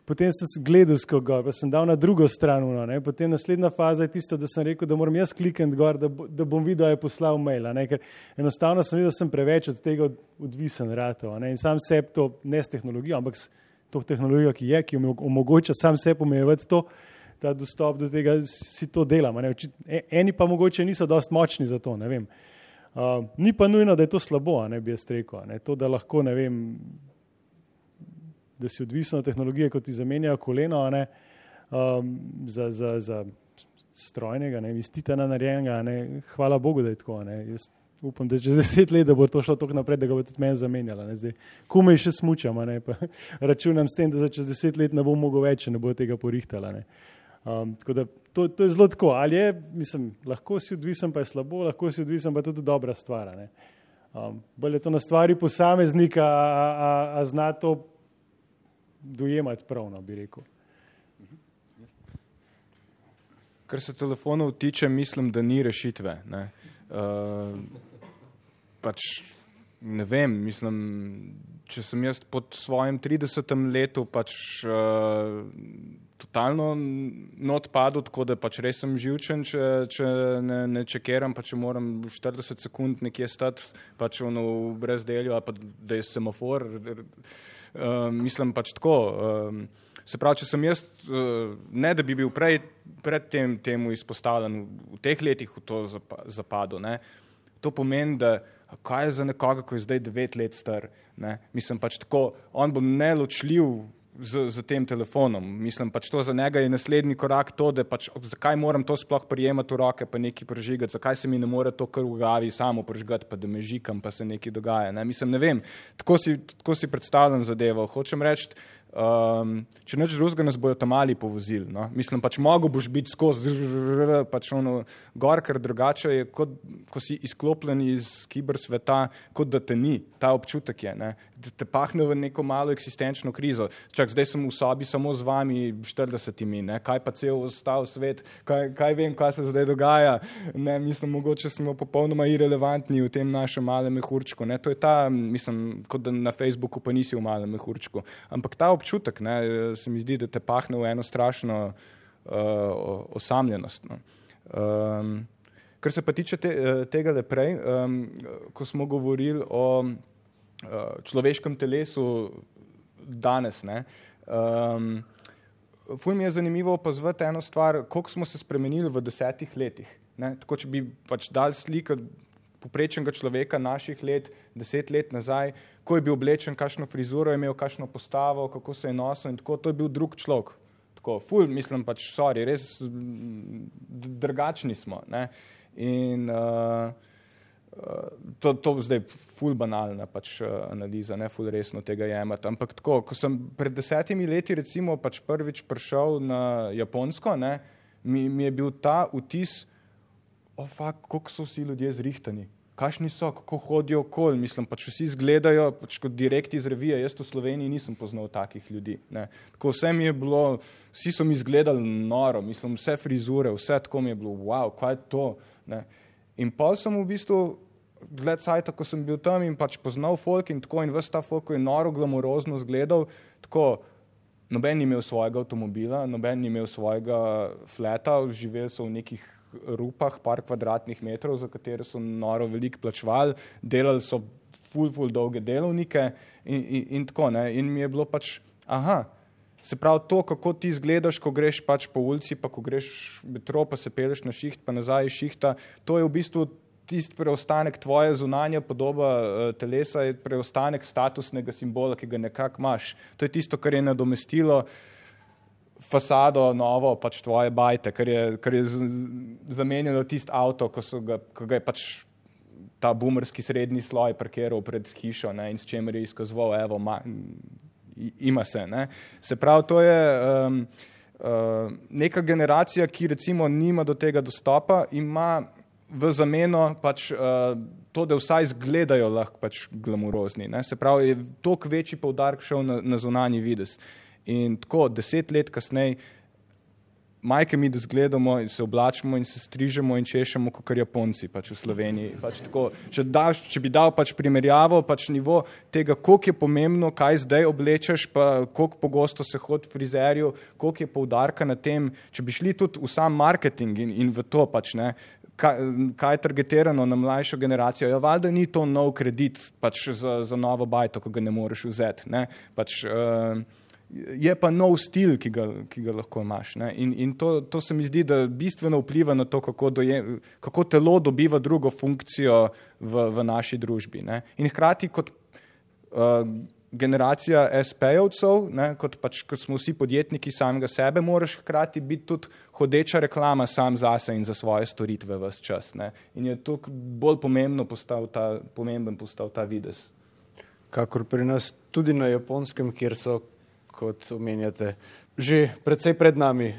potem sem gledal skoro gor, pa sem dal na drugo stran, potem naslednja faza je tista, da sem rekel, da moram jaz klikniti gor, da bom videl, da je poslal mail, ker enostavno sem videl, da sem preveč od tega odvisen ratov, in sam sebi to, ne s tehnologijo, ampak s to tehnologijo, ki mi omogoča sam sebi omejevati ta dostop do tega, si to delam. Eni pa mogoče niso dosti močni za to, ne vem. Ni pa nujno, da je to slabo, bi jaz rekel. To, da lahko, da si odvisen od tehnologije, ko ti zamenjajo koleno, za strojnega, iz titana narejenega, hvala Bogu, da je tako. Jaz upam, da čez 10 let, da bo to šlo toliko naprej, da ga bo tudi meni zamenjala. Komaj še smučam, pa računam s tem, da za čez 10 let ne bom mogel več, ne bo tega porihtala. Tako da to je zelo tako, ali je, lahko si odvisen, pa je slabo, lahko si odvisen, pa je tudi dobra stvar. Bolj je to na stvari posameznika, a zna to dojemati pravno, bi rekel. Kar se telefonov tiče, mislim, da ni rešitve. Ne vem, če sem jaz pod svojim 30. letu totalno not padel, tako da res sem živčen, če ne čekiram, pa če moram 40 sekund nekje stati, v brezdelju, ali pa da je semafor. Mislim tako. Se pravi, če sem jaz, ne da bi bil pred temu izpostavljen v teh letih v to zapadu, to pomeni, da kaj je za nekoga, ko je zdaj 9 let star, mislim tako, on bo neločljiv z tem telefonom. Mislim, to za njega je naslednji korak to, da zakaj moram to sploh prijemati v roke, pa nekaj prežigati, zakaj se mi ne more to kar v glavi samo prežigati, pa da me žikam, pa se nekaj dogaja. Ne vem, tako si predstavljam zadevo. Hočem reči, če nič drugega nas bojo tam mali povozili. Mislim, mogo boš biti skozi gor, ker drugače je, ko si izklopljen iz kiber sveta, kot da te ni. Ta občutek je, da te pahne v neko malo eksistenčno krizo. Zdaj sem v sobi samo z vami 40-imi, kaj pa cel ostal svet, kaj vem, kaj se zdaj dogaja. Mislim, mogoče smo popolnoma irelevantni v tem našem malem mehurčku. To je ta, mislim, kot da na Facebooku pa nisi v malem mehurčku. Ampak ta občutek, se mi zdi, da te pahne v eno strašno osamljenost. Kar se pa tiče tega prej, ko smo govorili o človeškem telesu danes, ne, ful mi je zanimivo opazovati eno stvar, koliko smo se spremenili v 10 letih. Ne? Tako, če bi pač dal sliko poprečnega človeka naših let, 10 let nazaj, ko je bil oblečen, kakšno frizuro je imel, kakšno postavo, kako se je nosil in tako, to je bil drug človek. Tako, ful, mislim pač, sorry, res drugačni smo. Ne? In to zdaj ful banalna pač analiza, ne ful resno tega jemati, ampak tako, ko sem pred 10 leti recimo pač prvič prišel na Japonsko, ne, mi je bil ta vtis, koliko so vsi ljudje zrihtani, kakšni so, kako hodijo okoli, mislim, pač vsi izgledajo pač kot direkt iz revije, jaz v Sloveniji nisem poznal takih ljudi. Ne. Tako vse mi je bilo, vsi so mi izgledali noro, mislim, vse frizure, vse tako mi je bilo, wow, kaj je to? Ne. In pol sem v bistvu, dlje cajta, ko sem bil tam in pač poznal folk in tako in ves ta folk je noro glamurozno izgledal, tako noben ni imel svojega avtomobila, noben ni imel svojega fleta, živeli so v nekih rupah, par kvadratnih metrov, za katere so noro veliko plačevali, delali so ful dolge delovnike in tako, ne, in mi je bilo pač, se pravi to, kako ti izgledaš, ko greš pač po ulici, pa ko greš metro, pa se peleš na šiht, pa nazaj iz šihta, to je v bistvu tisti preostanek tvoje zunanja podoba telesa, je preostanek statusnega simbola, ki ga nekako imaš. To je tisto, kar je nadomestilo fasado novo, pač tvoje bajte, kar je zamenjalo tisti avto, ko ga je pač ta boomerski srednji sloj parkiral pred hišo, ne, in s čemer je izkazoval, evo, ima se. Ne. Se pravi, to je neka generacija, ki recimo nima do tega dostopa, ima v zameno pač to, da vsaj izgledajo lahko pač glamurozni. Ne. Se pravi, je toliko večji poudarek šel na zunanji videz. In tako 10 let kasneje majke mi da zgledamo in se oblačimo in se strižemo in češemo kakor Japonci pač v Sloveniji. Pač tako, če bi dal pač primerjavo, pač nivo tega, koliko je pomembno, kaj zdaj oblečeš, pa koliko pogosto se hodi frizerju, koliko je poudarka na tem, če bi šli tudi v sam marketing in v to pač, ne, kaj je targetirano na mlajšo generacijo. Ja, valjda ni to nov kredit pač za novo bajto, ko ga ne moreš vzeti. Ne. Pač, je pa nov stil, ki ga lahko imaš. Ne. In to se mi zdi, da bistveno vpliva na to, kako telo dobiva drugo funkcijo v naši družbi. Ne. In hkrati kot generacija SP-jevcev, kot smo vsi podjetniki samega sebe, moraš hkrati biti tudi hodeča reklama sam zase in za svoje storitve ves čas. Ne. In je tukaj bolj pomemben postal ta videz. Kakor pri nas tudi na Japonskem, kjer so, kot omenjate, že precej pred nami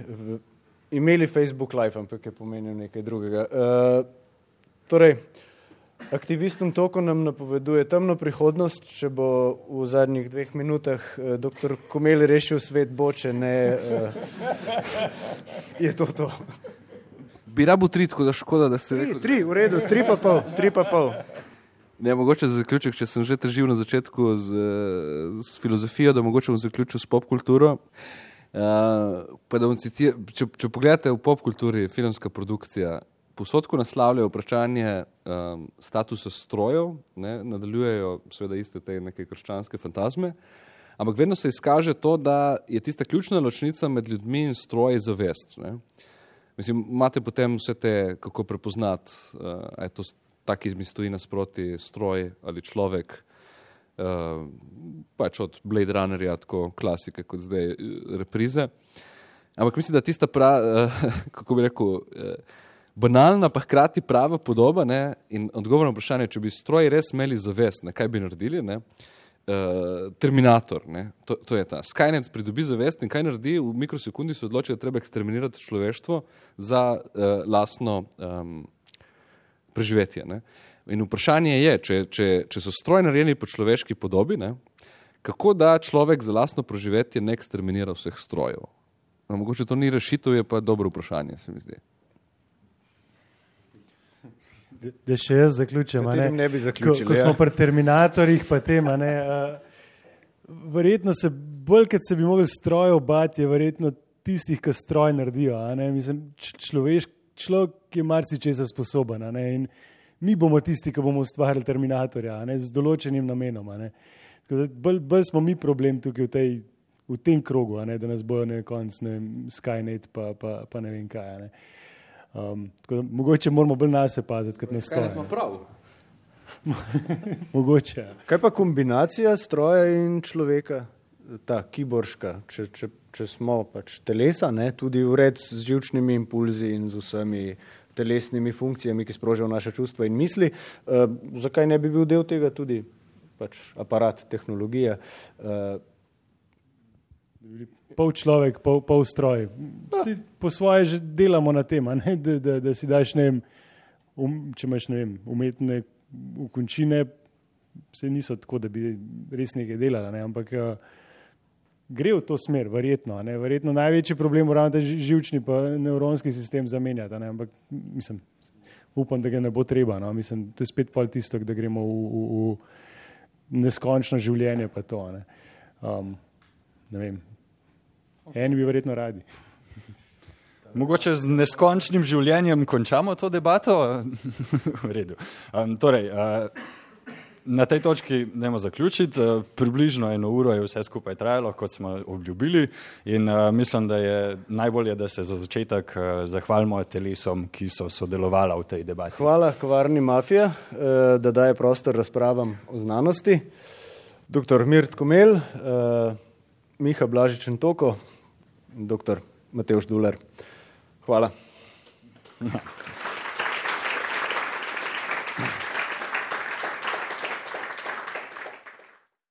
imeli Facebook Live, ampak je pomenil nekaj drugega. Torej, aktivistom toku nam napoveduje temno prihodnost, če bo v zadnjih 2 minutah dr. Komel rešil svet, bo, če ne, je to. Bi rabo 3, tako da škoda, da ste rekel. 3, v redu, 3,5. Ne, mogoče za zaključek, če sem že težil na začetku z filozofijo, da mogoče bom zaključil s popkulturo. Pa da bom citiral, če pogledate v popkulturi, filmska produkcija, povsod, ko naslavljajo vprašanje statusa strojev, ne, nadaljujejo seveda iste te neke krščanske fantazme, ampak vedno se izkaže to, da je tista ključna ločnica med ljudmi in stroji zavest. Ne. Mislim, imate potem vse te, kako prepoznati, a je to taki mi stoji nasproti stroj ali človek, pač od Blade Runnerja, tako klasike kot zdaj reprize. Ampak mislim, da tista kako bi rekel, banalna pa hkrati prava podoba, ne, in odgovor na vprašanje, če bi stroji res imeli zavest, ne, kaj bi naredili, ne, Terminator, ne, to je ta. Skynet pridobi zavest in kaj naredi, v mikrosekundi se odloči, da treba eksterminirati človeštvo za lastno preživetje. Ne. In vprašanje je, če so stroji narejeni po človeški podobi, ne, kako da človek za lastno preživetje ne eksterminira vseh strojev. No, mogoče to ni rešitev, je pa dobro vprašanje, se mi zdi. Da še jaz zaključim. Ne bi zaključili. Ko smo pri Terminatorjih, pa tema, verjetno se bolj, kad se bi mogli strojev bati, je verjetno tistih, ki stroj naredijo. Mislim, človek je marsičesa sposoben. A ne, in mi bomo tisti, ki bomo ustvarili Terminatorja, a ne, z določenim namenom. A ne. Bolj smo mi problem tukaj v tem krogu, a ne, da nas bojo na koncu Skynet pa ne vem kaj. A ne. Tako da, mogoče moramo bolj nase paziti, kot nas stoje. Skynet ima prav. Mogoče. Kaj pa kombinacija stroja in človeka, ta kiborška, če smo pač telesa, ne, tudi vred z živčnimi impulzi in z vsemi telesnimi funkcijami, ki sprožajo naše čustva in misli, zakaj ne bi bil del tega tudi pač aparat, tehnologija? Pol človek, pol stroj. Po svoje že delamo na tem, ne? Da si daš, ne vem, če imaš, ne vem, umetne ukončine, se niso tako, da bi res nekaj delala, ne? Ampak gre v to smer, verjetno. Ne? Verjetno največji problem ravno ta živčni pa nevronski sistem zamenjati, ne? Ampak mislim, upam, da ga ne bo treba. No? Mislim, to je spet pol tisto, da gremo v neskončno življenje pa to. Ne? Ne vem. Eni bi verjetno radi. Mogoče z neskončnim življenjem končamo to debato? V redu. Torej, na tej točki dajmo zaključiti. Približno 1 uro je vse skupaj trajalo, kot smo obljubili, in mislim, da je najbolje, da se za začetek zahvalimo telesom, ki so sodelovala v tej debati. Hvala kavarni Mafija, da daje prostor razpravam o znanosti. Dr. Mirt Komel, Miha Blažič-Ntoko, dr. Matevž Dular. Hvala.